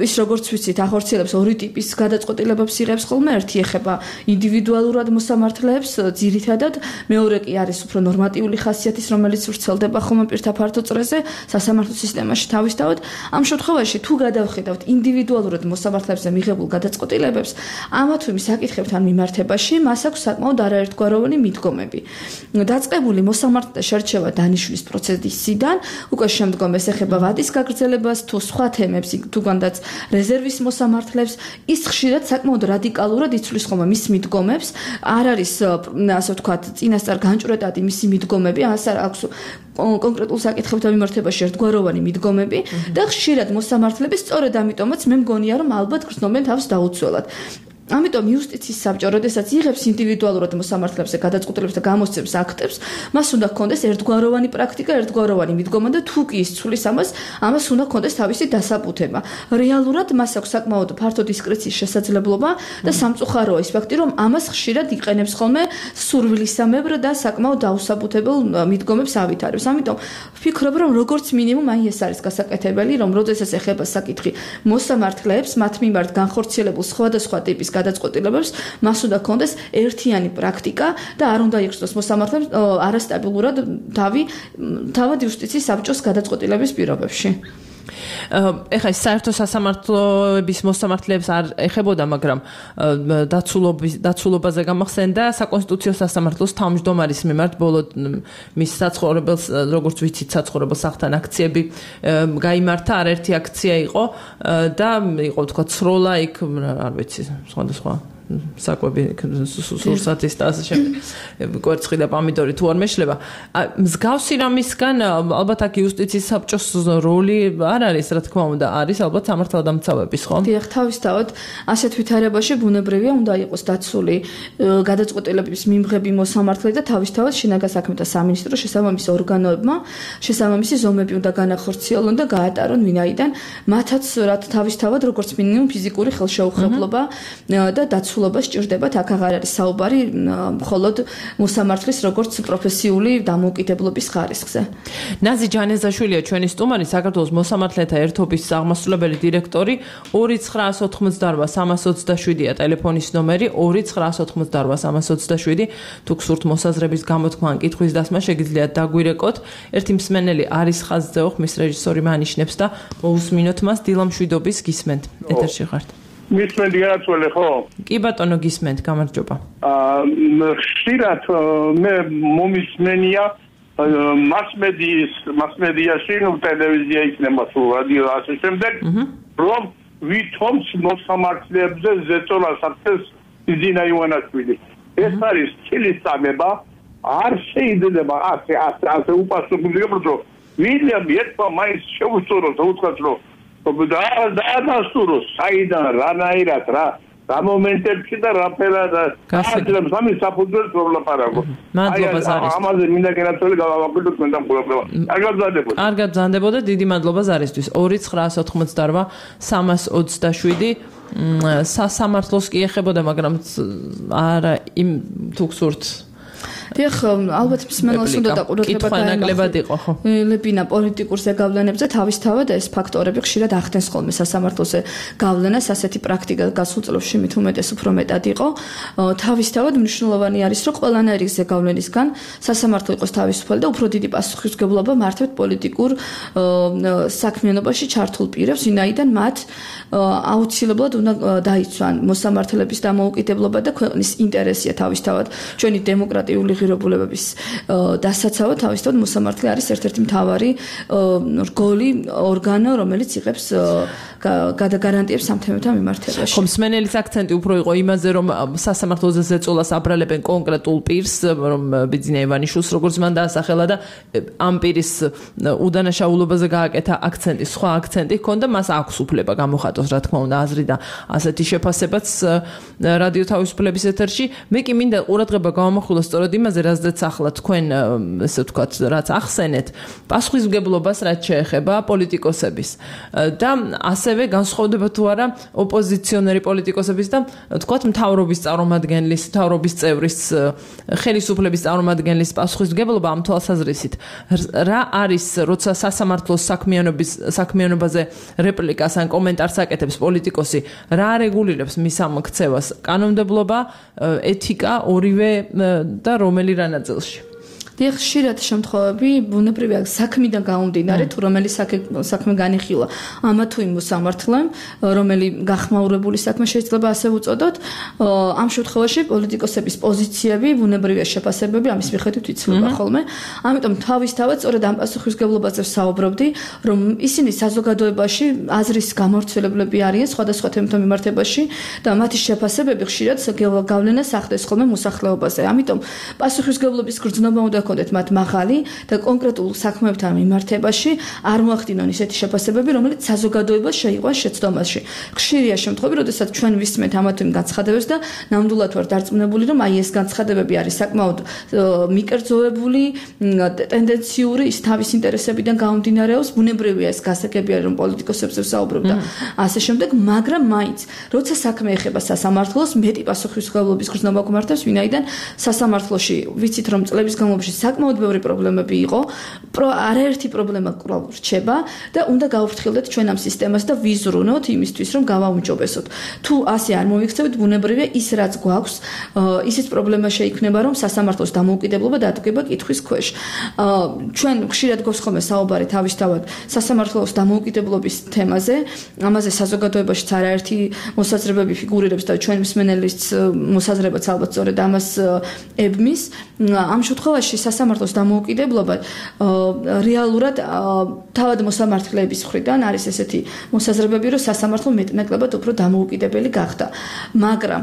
[SPEAKER 19] ის როგორც ვიცით, ახორციელებს ორი ტიპის გადაწყვეტილებებს იღებს ხოლმე, ერთი ეხება ინდივიდუალურად მოსამართლეებს, ძირითადად, მეორე კი არის უფრო ნორმატიული ხასიათის, რომელიც ვრცელდება ხოლმე პირთაფართო წრეზე სასამართლო სისტემაში თავისთავად. ამ შემთხვევაში თუ გადავხედავთ ინდივიდუალურად მოსამართლეებზე მიღებულ გადაწყვეტილებებს, ამა თუ იმ საკითხებთან მიმართებაში მას აქვს საკმაოდ არაერთგვაროვანი მიდგომები. დაწყებული მოსამართლეთა შერჩევა დანიშვნის პროცესიდან, უკვე შემდგომ ეს ეხება ვადის გაგრძელებას თუ სხვა თემებს, თუ განდაც რეზერვის მოსამართლებს, ის ხშირად საკმაოდ რადიკალურად იცვლის ხოლმე მის მიდგომებს, არ არის ასე ვთქვათ, წინასწარ განჭვრეტადი მისი მიდგომები, ასარ აქვს კონკრეტულ საკითხებთან მიმართებაში ერთგვაროვანი მიდგომები და ხშირად მოსამართლები სწორედ ამიტომაც მე მგონია რომ ალბათ გრძნობენ თავს დაუცველად. ამიტომ იუსტიციის საბჭო, როდესაც იღებს ინდივიდუალურად მოსამართლეებზე გადაწყვეტილებებს და გამოსცემს აქტებს, მას უნდა ჰქონდეს ერთგვაროვანი პრაქტიკა, ერთგვაროვანი მიდგომა და თუ კი ის ცვლის ამას, ამას უნდა ჰქონდეს თავისი დასაბუთება. რეალურად მას აქვს საკმაოდ ფართო დისკრეციის შესაძლებლობა და სამწუხაროა ის ფაქტი, რომ ამას ხშირად იყენებს ხოლმე სურვილისამებრ და საკმაოდ დაუსაბუთებელ მიდგომებს ავითარებს. ამიტომ ვფიქრობ, რომ როგორც მინიმუმ აი ეს არის გასაკეთებელი, რომ როდესაც ეხება საკითხი მოსამართლეებს, მათ მიმართ განხორციელებულ სხვადასხვა ტიპის გადაწყვეტილებებს, მას უნდა ჰქონდეს ერთიანი პრაქტიკა და არ უნდა იხსნოს მოსამართლეებს არასტაბილურად თავი თავად იუსტიციის საბჭოს გადაწყვეტილების პირობებში.
[SPEAKER 2] ეხლა საერთო სასამართლოების მოსამართლეებს არ ეხებოდა, მაგრამ დაცულობის დაცულობაზე გამახსენდა საკონსტიტუციო სასამართლოს თავმჯდომარის მიმართ ბოლო მის საცხოვრებელს, როგორც ვიცით, საცხოვრებელ სახლთან აქციები გაიმართა, არაერთი აქცია იყო და იყო თქვა სროლა იქ, არ ვიცი, სხვადასხვა საკვები სურსათის და ასე შემდეგ კვერცხი და პომიდორი თუ არ მეშლება. მსგავსი რამისგან ალბათ აქ იუსტიციის საბჭოს როლი არ არის, რა თქმა უნდა, არის ალბათ სამართალდამცავების, ხო?
[SPEAKER 19] დიახ, თავისთავად ასეთ ვითარებაში ბუნებრივია უნდა იყოს დაცული გადაწყვეტილების მიმღები მოსამართლე და თავისთავად შინაგან საქმეთა სამინისტრო შესაბამისი ორგანოებმა შესაბამისი ზომები უნდა განახორციელონ და გაატარონ, ვინაიდან მათაც რაც თავისთავად როგორც მინიმუმ ფიზიკური ხელშეუხებლობა და დაცული სულობას ჭირდებათ, აქ აღარ არის საუბარი მხოლოდ მოსამართლის როგორც პროფესიული დამოუკიდებლობის ხარისხზე.
[SPEAKER 2] ნაზი ჯანეზაშვილია ჩვენი სტუმარი, საქართველოს მოსამართლეთა ერთობის აღმასრულებელი დირექტორი. ორი ცხრაას ოთხმოცდაორვა სამას ოცდაშვიდია ტელეფონის ნომერი, ორი ცხრაას ოთხმოცდაორვა სამას ოცდაშვიდი. თუ გსურთ მოსაზრების გამოთქმა ან კითხვის დასმა, შეგიძლიათ დაგვირეკოთ. ერთი მსმენელი არის ხაზზე, ხმის რეჟისორი მანიშნებს და მოусმინოთ მას. დილამშვიდობის გისმენთ. ეთერში ხართ.
[SPEAKER 20] მისმენდი არაცვლე ხო?
[SPEAKER 2] კი ბატონო გისმენთ, გამარჯობა.
[SPEAKER 20] აა ხშირად მე მომისმენია მასმედიის მასმედიაში, ნუ ტელევიზია იქნება თუ რადიო ასე შემდეგ, რომ ვითომს მოსამართლეებზე ზეწოლას ახდენს იძინა ივანაშვილი. ეს არის ცილისწამება, არ შეიძლება ასე ასე ასე უპასუხებლია, რომ ვილიამ ერთმა მაინც შეუსწოროს და უთქვას, რომ და და დასტუროს საიდან რანაირად რა რა მომენტებში და რა ფერად გასაგებს ამის საფუძველს რომ ლაპარაკო.
[SPEAKER 2] მადლობა ზარის.
[SPEAKER 20] ამაზე მინდა გენაცვლი გავაკვირდოთ მენთან ყურებდება. კარგად გზადდებოდა.
[SPEAKER 2] კარგად გზადდებოდა. დიდი მადლობა ზარისთვის. ორი ცხრაას ოთხმოცდაოთხ სამას ოცდაშვიდი სასამართლოს კი ეხებოდა, მაგრამ არა იმ თუ გსურთ
[SPEAKER 19] დიახ, ალბათ მსმენელს უნდა დაყურებება
[SPEAKER 2] დაანაკლებად იყო, ხო?
[SPEAKER 19] ლებინა პოლიტიკურ ზეგავლენებზე თავისთავად ეს ფაქტორები ხშირად ახდენს ხოლმე სასამართლოზე გავლენას, ასეთი პრაქტიკა გასულ წლებში მით უმეტეს უფრო მეტად იყო. თავისთავად მნიშვნელოვანი არის, რომ ყველანაირი ზეგავლენისგან სასამართლო იყოს თავისუფალი და უფრო დიდი პასუხისმგებლობა მართვით პოლიტიკურ საქმიანობაში ჩართულ პირებს, ვინაიდან მათ აუცილებლად უნდა დაიცვან მოსამართლეების დამოუკიდებლობა და ქვეყნის ინტერესია თავისთავად ჩვენი დემოკრატიული ღირებულებების დასაცავად თავისთავად მოსამართლე არის ერთ-ერთი მთავარი რგოლი ორგანო, რომელიც იღებს გადაგარანტიებს ამ თემებთან მიმართებაში.
[SPEAKER 2] ხომ მსმენელის აქცენტი უფრო იყო იმაზე, რომ სასამართლოზე ზეწოლას აბრალებენ კონკრეტულ პირს, რომ ბიძინა ივანიშვილს როგორც მან დაასახელა და ამ პირის უდანაშაულობაზე გააკეთა აქცენტი, სხვა აქცენტი ჰქონდა, მას აქვს უფლება გამოხატოს, რა თქმა უნდა, აზრი და ასეთი შეფასებაც რადიო თავისუფლების ეთერში. მე კი მინდა ყურადღება გავამახვილო სწორედ იმაზე, რაზეც ახლა თქვენ ესე ვთქვათ, რაც ახსენეთ, პასუხისმგებლობას რაც შეეხება პოლიტიკოსების და ასევე განსხვავდება თუ არა ოპოზიციონერი პოლიტიკოსების და თქვათ მთავრობის წარმომადგენლის, მთავრობის წევრის, ხელისუფლების წარმომადგენლის პასუხისმგებლობა ამ თვალსაზრისით. რა არის, როცა სასამართლოს საქმიანობის საქმიანობაზე რეპლიკას ან კომენტარს აკეთებს პოლიტიკოსი, რა რეგულირებს მის ამ ქცევას? კანონმდებლობა, ეთიკა, ორივე და რომელი რა ნაწილში?
[SPEAKER 19] დიახ, ხშირად შემთხვევები ბუნებრივია საქმიდან გამომდინარე, თუ რომელი საქმე განიხილა ამა თუ იმ მოსამართლემ, რომელი გახმაურებული საქმე შეიძლება ასე ვუწოდოთ, ამ შემთხვევაში პოლიტიკოსების პოზიციები, ბუნებრივია შეფასებები ამის მიხედვით იცვლება ხოლმე. ამიტომ თავისთავად სწორედ ამ პასუხისმგებლობაზე ვსაუბრობდი, რომ ისინი საზოგადოებაში აზრის გამავრცელებლები არიან სხვადასხვა თემათა მიმართებაში და მათი შეფასებები ხშირად გავლენას ახდენს ხოლმე მოსახლეობაზე. ამიტომ პასუხისმგებლობის გრძნობა უნდა ჰქონდეთ მათ მაღალი და კონკრეტულ საქმეებთან მიმართებაში არ მოახდინონ ისეთი შეფასებები, რომელიც საზოგადოებას შეიყვანს შეცდომაში. ხშირია შემთხვევები, როდესაც ჩვენ ვისმენთ ამა თუ იმ განცხადებებს და ნამდვილად ვარ დარწმუნებული, რომ აი ეს განცხადებები არის საკმაოდ მიკერძოებული, ტენდენციური, ის თავის ინტერესებიდან გამომდინარეობს, ბუნებრივია ეს გასაგები არის, რომ პოლიტიკოსებზე ვსაუბრობ და ასე შემდეგ, მაგრამ მაინც, როცა საქმე ეხება სასამართლოს, მეტი პასუხისმგებლობის გრძნობა გვმართავს, ვინაიდან სასამართლოში ვიცით, რომ წლების განმავლობაში საკმაოდ ბევრი პრობლემები იყო, არაერთი პრობლემა კვლავ რჩება და უნდა გავუფრთხილდეთ ჩვენ ამ სისტემას და ვიზრუნოთ იმისთვის, რომ გავაუმჯობესოთ. თუ ასე არ მოვიქცევით, ბუნებრივია ის რაც გვაქვს, ისიც პრობლემა შეიქმნება, რომ სასამართლოს დამოუკიდებლობა დადგება კითხვის ქვეშ. ჩვენ ხშირად გვაქვს ხოლმე საუბარი თავისთავად სასამართლოს დამოუკიდებლობის თემაზე, ამაზე საზოგადოებაშიც არაერთი მოსაზრებები ფიგურირებს და ჩვენ მსმენელის მოსაზრებაც ალბათ სწორედ ამას ებმის. ამ შემთხვევაში სასამართლოს დამოუკიდებლობა რეალურად თავად მოსამართლეების მხრიდან არის ესეთი მოსაზრებები, რომ სასამართლო მეტნაკლებად უფრო დამოუკიდებელი გახდა. მაგრამ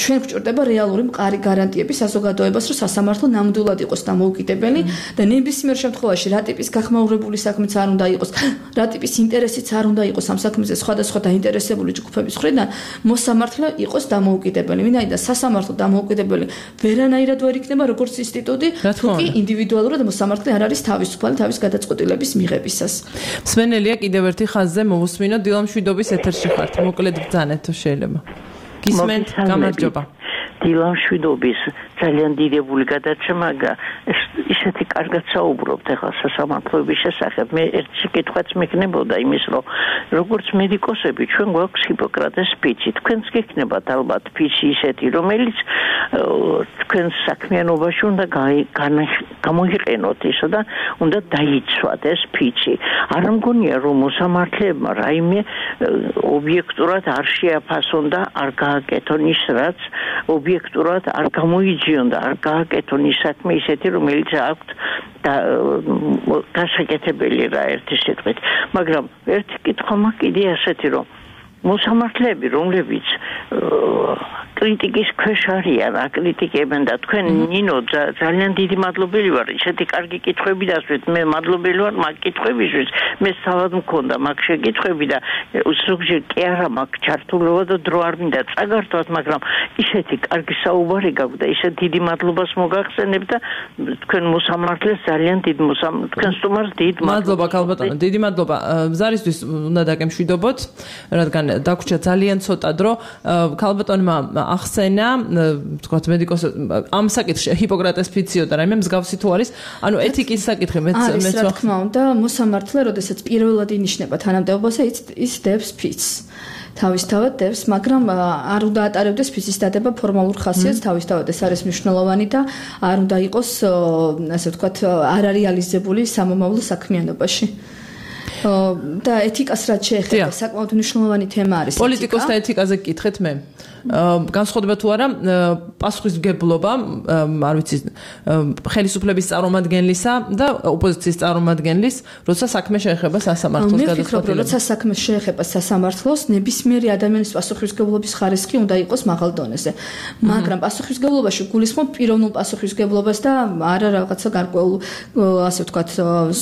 [SPEAKER 19] ჩვენ გვჭირდება რეალური მყარი გარანტიები საზოგადოებას, რომ სასამართლო ნამდვილად იყოს დამოუკიდებელი და ნებისმიერ შემთხვევაში რა ტიპის გახმაურებული საქმეც არ უნდა იყოს, რა ტიპის ინტერესიც არ უნდა იყოს ამ საქმეზე სხვადასხვა დაინტერესებული ჯგუფების მხრიდან, მოსამართლე იყოს დამოუკიდებელი. ვინაიდან სასამართლო დამოუკიდებელი ვერანაირად ვერ იქნება როგორც ინსტიტუტი, თუ კი ინდივიდუალურად მოსამართლე არ არის თავისუფალი თავის გადაწყვეტილების მიღებისას.
[SPEAKER 2] მსმენელია კიდევ ერთი ხაზზე მოვუსმინოთ, დილამშვიდობის ეთერში ხართ. მოკლედ ბრძანეთ თუ შეიძლება. გისმენთ, გამარჯობა.
[SPEAKER 21] დილამშვიდობის ძალიან დიდებული გადაცემა ისეთი კარგად საუბრობთ ახლა სასამართლოების შესახებ. მე ერთ შეკითხვაც მექნებოდა იმის, რომ როგორც მედიკოსები ჩვენ გვაქვს ჰიპოკრატეს ფიცი. თქვენს გექნებათ ალბათ ფიცი ისეთი, რომელიც თქვენს საქმიანობაში უნდა გამოიყენოთ ისო და უნდა დაიცვათ ეს ფიცი. არ მგონია რომ მოსამართლეებმა რაიმე ობიექტურად არ შეაფასონ და არ გააკეთონ ის, რაც ობიექტურად არ გამოიჯიონ და არ გააკეთონ ის საქმე ისეთი, რომელიც აქვთ და გასაკეთებელი რა ერთი სიტყვით. მაგრამ ერთი კითხვა მაქვს კიდე ასეთი, რომ მოსამართლეები, რომლებიც კრიტიკის ქვეშ არიან, აკრიტიკებენ და თქვენ ნინო ძალიან დიდი მადლობელი ვარ. ისეთი კარგი კითხვები დასვით. მე მადლობელი ვარ მაგ კითხვებისთვის. მე თავად მქონდა მაგ შეკითხვები და ზოგჯერ კი არა მაგ ჩართულობა და დრო არ მინდა წაგართვათ, მაგრამ ისეთი კარგი საუბარი გაქვს და ისეთ დიდი მადლობას მოგახსენებ და თქვენ მოსამართლეს ძალიან დიდ მოსამ თქვენ სტუმარს დიდ
[SPEAKER 2] მადლობა ქალბატონო, დიდი მადლობა. ზარისთვის უნდა დაგემშვიდობოთ, რადგან დაგვრჩა ძალიან ცოტა დრო. ქალბატონმა ახსენა, თქვათ მედიკოს ამ საკითხში ჰიპოკრატეს ფიციოდა რაიმე მსგავსი თუ არის, ანუ ეთიკის საკითხი მეც
[SPEAKER 19] მეც რა თქმა უნდა, მოსამართლე, როდესაც პირველად ინიშნება თანამდებობაზე, ის დებს ფიცს. თავისთავად დევს, მაგრამ არ უნდა ატარებდეს ფიცის დადება ფორმალურ ხასიათს, თავისთავად ეს არის მნიშვნელოვანი და არ უნდა იყოს, ასე ვთქვათ, არარეალიზებული სამომავლო საქმიანობაში. და ეთიკას რაც შეეხება, საკმაოდ მნიშვნელოვანი თემა არის.
[SPEAKER 2] პოლიტიკოსთა ეთიკაზე გკითხეთ მე. განსხვავდება თუ არა პასუხისმგებლობა, არ ვიცი, ხელისუფლების წარმომადგენლისა და ოპოზიციის წარმომადგენლის, როცა საქმე შეეხება სასამართლოს გადაწყვეტილებას.
[SPEAKER 19] მე ვფიქრობ, როცა საქმე შეეხება სასამართლოს, ნებისმიერი ადამიანის პასუხისმგებლობის ხარისხი უნდა იყოს მაღალ დონეზე. მაგრამ პასუხისმგებლობაში გულისხმობ პიროვნულ პასუხისმგებლობას და არა რაღაცა გარკვეულ, ასე ვთქვათ,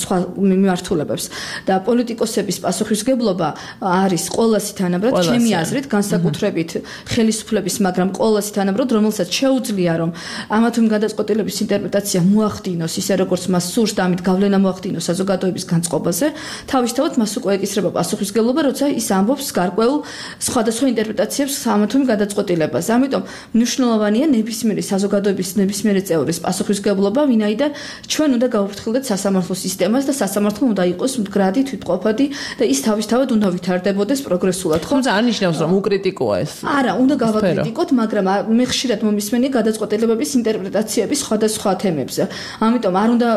[SPEAKER 19] სხვა მიმართულებებს. და პოლიტიკოსების პასუხისმგებლობა არის ყოველასი თანაბრად, ჩემი აზრით, განსაკუთრებით ხელისუფლების, მაგრამ ყოველასი თანაბრად, რომელსაც შეუძლია რომ ამა თუ იმ გადაწყვეტილების ინტერპრეტაცია მოახდინოს ისე როგორც მას სურს და ამით გავლენა მოახდინოს საზოგადოების განწყობაზე, თავისთავად მას უკვე ეკისრება პასუხისმგებლობა, როცა ის ამბობს გარკვეულ სხვადასხვა ინტერპრეტაციებს ამა თუ იმ გადაწყვეტილებაზე. ამიტომ მნიშვნელოვანია ნებისმიერი საზოგადოების ნებისმიერი წევრის პასუხისმგებლობა, ვინაიდან ჩვენ უნდა გავუფრთხილდეთ სასამართლო სისტემას და სასამართლო უნდა იყოს მდგრადი, თვითმყოფადი და ის თავისთავად უნდა ვითარდებოდეს პროგრესულად.
[SPEAKER 2] თუმცა არ ნიშნავს რომ უკრიტიკოა ეს.
[SPEAKER 19] არა, უნდა გავაკრიტიკოთ, მაგრამ მე ხშირად მომისმენია გადაწყვეტილებების ინტერპრეტაციების სხვადასხვა თემებზე. ამიტომ არ უნდა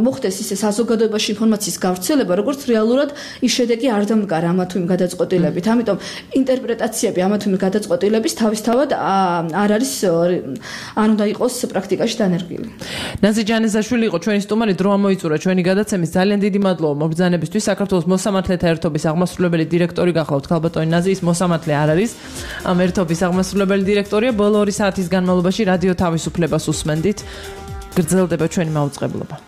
[SPEAKER 19] მოხდეს ისე საზოგადოებაში ინფორმაციის გავრცელება, როგორც რეალურად ის შედეგი არ დამდგარა ამა თუ იმ გადაწყვეტილებით. ამიტომ ინტერპრეტაციები ამა თუ იმ გადაწყვეტილების თავისთავად არ არის არ უნდა იყოს პრაქტიკაში დანერგილი.
[SPEAKER 2] ნაზი ჯანეზაშვილი იყო ჩვენი სტუმარი, დრო ამოიწურა ჩვენი გადაცემის. ძალიან დიდი მადლობა მობრძანებისთვის. საქართველოს მოსამართლეთა ერთობის აღმასრულებელი დირექტორი გახლავთ ქალბატონი ნაზი, ის მოსამართლე არ არის. ამ ერთობის აღმასრულებელი დირექტორია. ბოლო ორი საათის განმავლობაში რადიო თავისუფლებას უსმენდით. გრძელდება ჩვენი მაუწყებლობა.